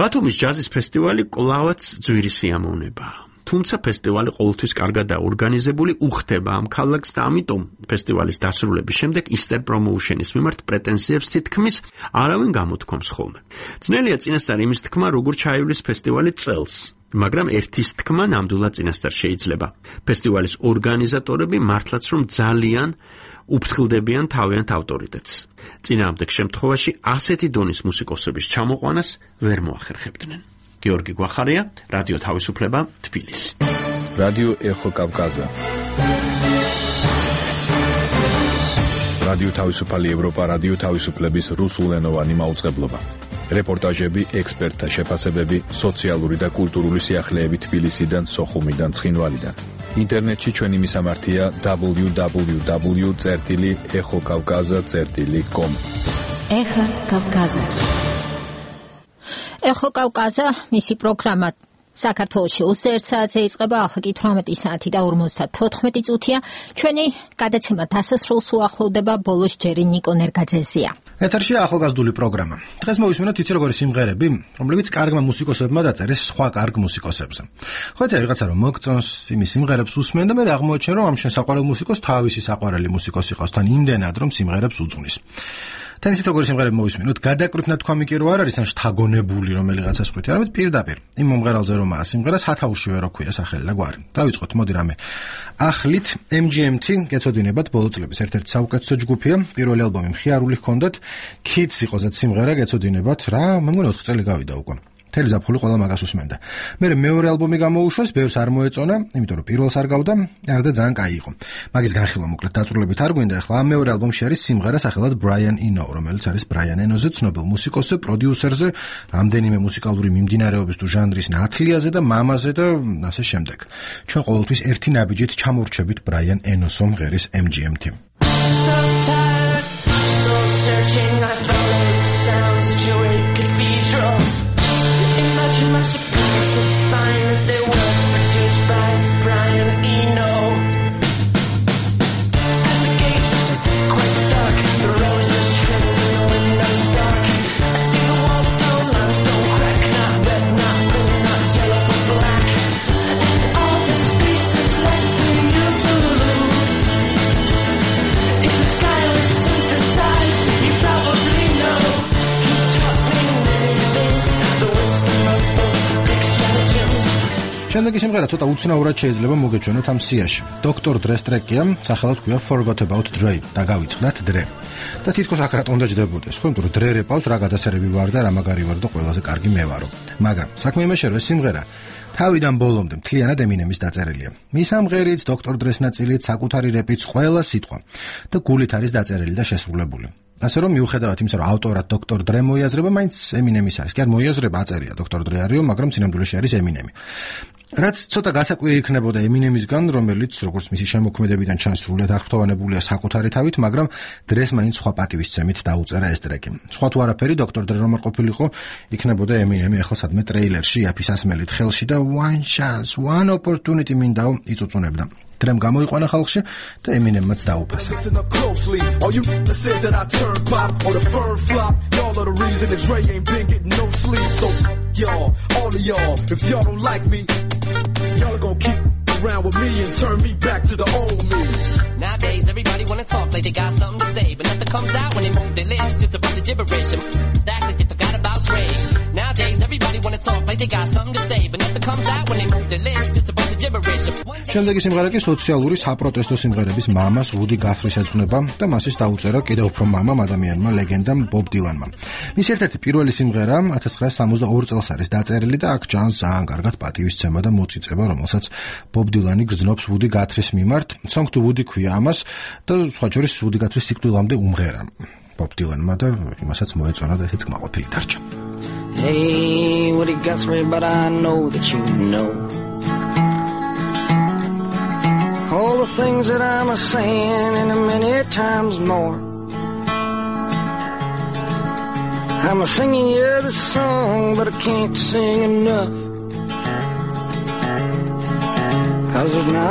ბათუმის ჯაზის ფესტივალი კვლავაც ძვირი სიამოვნებაა. თუმცა ფესტივალი ყოველთვის კარგად დაორგანიზებული უხდება ამ ქალაქს და ამიტომ ფესტივალის დასრულების შემდეგ Easter Promotion-ის მიმართ პრეტენზიებს თითქმის არავინ გამოთქვამს ხოლმე. ძნელია წინასწარ იმის თქმა, როგორ ჩაივლის ფესტივალი წელს. მაგრამ ერთის თქმა ნამდვილად წინასწარ შეიძლება. ფესტივალის ორგანიზატორები მართლაც რომ ძალიან უფრთხილდებიან თავიანთ ავტორიტეტს. წინააღმდეგ შემთხვევაში ასეთი დონის მუსიკოსების ჩამოყვანას ვერ მოახერხებდნენ. გიორგი გვახარია, რადიო თავისუფლება, თბილისი. რადიო ეხო კავკაზა. რადიო თავისუფალი ევროპა, რადიო თავისუფლების რუსულენოვანი მაუწყებლობა. რეპორტაჟები, ექსპერტთა შეფასებები, სოციალური და კულტურული სიახლეები თბილისიდან, სოხუმიდან, ცხინვალიდან. ინტერნეტში ჩვენი მისამართია www.ეხოკავკაზა.com. ეხო კავკაზა. ეხო კავკაზა, მისი პროგრამა საქართველოში 21 საათზე იწყება, ახლა კი 18 საათი და 54 წუთია. ჩვენი გადაცემა დასასრულს უახლოვდება, ბოლოს ჯერი ნიკო ნერგაძეზია. ეთერშია ახალგაზრდული პროგრამა. დღეს მოვისმინოთ იცი როგორი სიმღერები, რომლებიც კარგმა მუსიკოსებმა დაწერეს სხვა კარგ მუსიკოსებზე. ხოცა ვიღაცა რომ მოგწონს იმის სიმღერებს უსმენ და მე აღმოაჩენ რომ ამ შესაყვარელ მუსიკოს თავისი საყვარელი მუსიკოსი ყავს თან იმდენად რომ სიმღერებს უძღვნის. თან ისეთ როგორი სიმღერები მოვისმინოთ, გადაკრით ნათქვამი კი რო არ არის ან შთაგონებული რომელიღაცას ხვით, არამედ პირდაპირ იმ მომღერალზე რომაა სიმღერა სათავშივე რო ქვია სახელი და გვარი. დავიწყოთ, მოდი რამე. ახლით MGMT გეცოდინებათ ბოლო წლების ერთ-ერთი საუკეთესო ჯგუფია, პირველი ალბომი მხიარული ჰქონდათ, Kids იყოსაც სიმღერა გეცოდინებათ, რა, მე მგონი 4 წელი გავიდა უკვე. მთელი ზაფხული ყველა მაგას უსმენდა. მე მეორე ალბომი გამოუშვეს, ბევრს არ მოეწონა, იმიტომ რომ პირველს არ გავდა, არდა ძალიან კაი იყო. მაგის განხილვა მოკლედ დაწვრილებით არ გვინდა, ახლა ამ მეორე ალბომში არის სიმღერა სახელად Brian Eno, რომელიც არის Brian Eno-ზე ცნობილ მუსიკოსზე, პროდიუსერზე, რამდენიმე მუსიკალური მიმდინარეობის თუ ჟანრის ნათლიაზე და მამაზე და ასე შემდეგ. ჩვენ ყოველთვის ერთი ნაბიჯით ჩამორჩებით Brian Eno-ს მომღერის MGMT. შემდეგი სიმღერა ცოტა უცნაურად შეიძლება მოგეჩვენოთ ამ სიაში. Dr. Dre-ს ტრეკია, სახელად ქვია Forgot About Dre და გავიწყდათ Dre. და თითქოს აქ რატომ დაждდებოდეს, ხო, იმიტომ რომ Dre რეპავს რა გადასერები ვარ და რა მაგარი ვარ და ყველაზე კარგი მე ვარო. მაგრამ საქმე იმაშია, რომ ეს სიმღერა თავიდან ბოლომდე მთლიანად Eminem-ის დაწერილია. მის ამღერიც, Dr. Dre-ს ნაწილიც, საკუთარი რეპიც, ყველა სიტყვა და გულით არის დაწერილი და შესრულებული. ასე რომ მიუხედავად იმისა, რომ ავტორად Dr. Dre მოიაზრება, მაინც Eminem-ის არის. კი არ მოიაზრება, აწერია Dr. Dre არისო, მაგრამ სინამდვილეში არის Eminem. რაც ცოტა გასაკვირი იქნებოდა Eminem-ისგან, რომელიც როგორც მისი შემოქმედებიდან ჩანს სრულად აღფრთოვანებულია საკუთარი თავით, მაგრამ Dre-ს მაინც სხვა პატივისცემით დაუწერა ეს ტრეკი. სხვა თუ არაფერი, Dr. Dre რომ არ ყოფილიყო, იქნებოდა Eminem-ი ახლა სადმე ტრეილერში აფისასმელით ხელში და one chance, one opportunity მინდა იწუწუნებდა. Dre-მ გამოიყვანა ხალხში და Eminem-მაც დაუფასა. Y'all, all of y'all, if y'all don't like me, y'all are gonna keep around with me and turn me back to the old me. Nowadays, everybody wanna talk like they got something to say, but nothing comes out when they move their lips, just a bunch of gibberish and act like they forgot about Dre. Nowadays, everybody wanna talk like they got something to say, but nothing comes out when they move their lips, just a bunch of gibberish. შემდეგი სიმღერა კი სოციალური საპროტესტო სიმღერების მამას ვუდი გათრის ეძღვნება და მასის დაუწერა კიდევ უფრო მამამ ადამიანმა ლეგენდამ ბობ დილანმა. მის ერთ-ერთი პირველი სიმღერა 1962 წელს არის დაწერილი და აქ ჯანს ძალიან კარგად პატივისცემა და მოწიწება, რომელსაც ბობ დილანი გრძნობს ვუდი გათრის მიმართ. Song to Woody ქვია ამას და სხვა შორის ვუდი გათრის სიკვდილამდე უმღერა ბობ დილანმა და იმასაც მოეწონა და ეს კმაყოფილი დარჩა. Hey, Woody Guthrie, but I know that you know all the things that I'm a-saying and a many times more. I'm a-singing you this song, but I can't sing enough. 'Cause there's not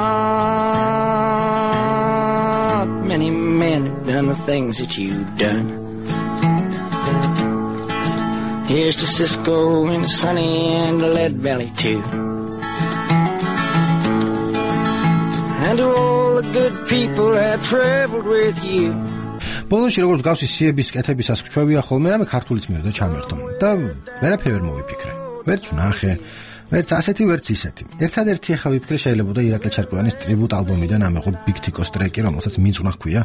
many men who've done the things that you've done. Here's to Cisco and Sonny and Lead Belly too. And to all the good people that traveled with you. ბოლოში როგორც გავსი სიების კეთებისას გვჩვევია ხოლმე რამე ქართულიც მინდა ჩამერთო და ვერაფერი ვერ მოვიფიქრე. ვერც ვნახე, ვერც ასეთი, ვერც ისეთი. ერთადერთი ახლა ვიფიქრე შეიძლება და ირაკლი ჩარკვიანის ტრიბუტ ალბომიდან ამეღო Big Tico-s ტრეკი, რომელსაც მიწუნა ჰქვია.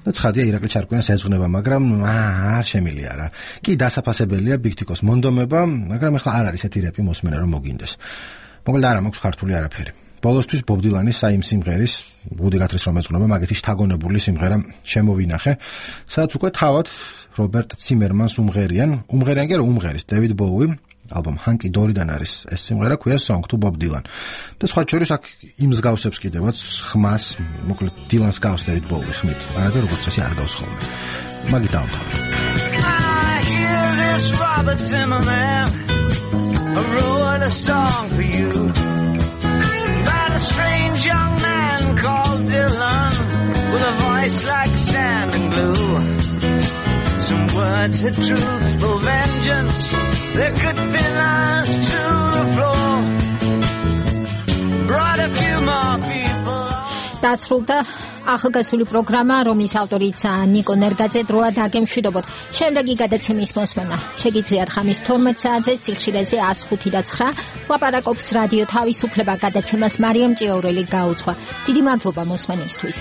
და ცხადია ირაკლი ჩარკვიანს ეძღვნება, მაგრამ არ შემილია რა. კი დასაფასებელია Big Tico-s მონდომება, მაგრამ ახლა არ არის ესეთი რეპი მოსმენა რომ მოგინდეს. მოკლედ არ მაქვს ქართული არაფერი. ბოლოსთვის Bob Dylan-ის საიმ სიმღერის გუდი გათრის რომ ეძღვნება, მაგეთი შთაგონებული სიმღერა შემოვინახე, სადაც უკვე თავად რობერტ ციმერმანს უმღერიან კი რა უმღერის David Bowie ალბომ Hunky Dory-დან არის ეს სიმღერა, ქვია Song to Bob Dylan. და სხვა შორის აქ იმ მსგავსებს კიდევაც ხმას, მოკლედ Dylan-ს გავს David Bowie ხმით. არადა როგორც წესი არ გავს ხოლმე. მაგით დავთვალე. I hear this Robert Zimmerman wrote a song for you about a strange young man called Dylan with a voice like sand and glue. Some words had truthful vengeance. There could be lines to the floor. Brought a few more people. დასრულდა ახალგაზრდული პროგრამა, რომლის ავტორიც ნიკო ნერგაძე. დროა დაგემშვიდობოთ. შემდეგი გადაცემის მოსმენა შეგიძლიათ ხამის 12 საათზე სიხშირეზე 105.9. ლაპარაკობს რადიო თავისუფლება გადაცემას მარიამ ჭიაურელი გაუძღვა. დიდი მადლობა მოსმენისთვის.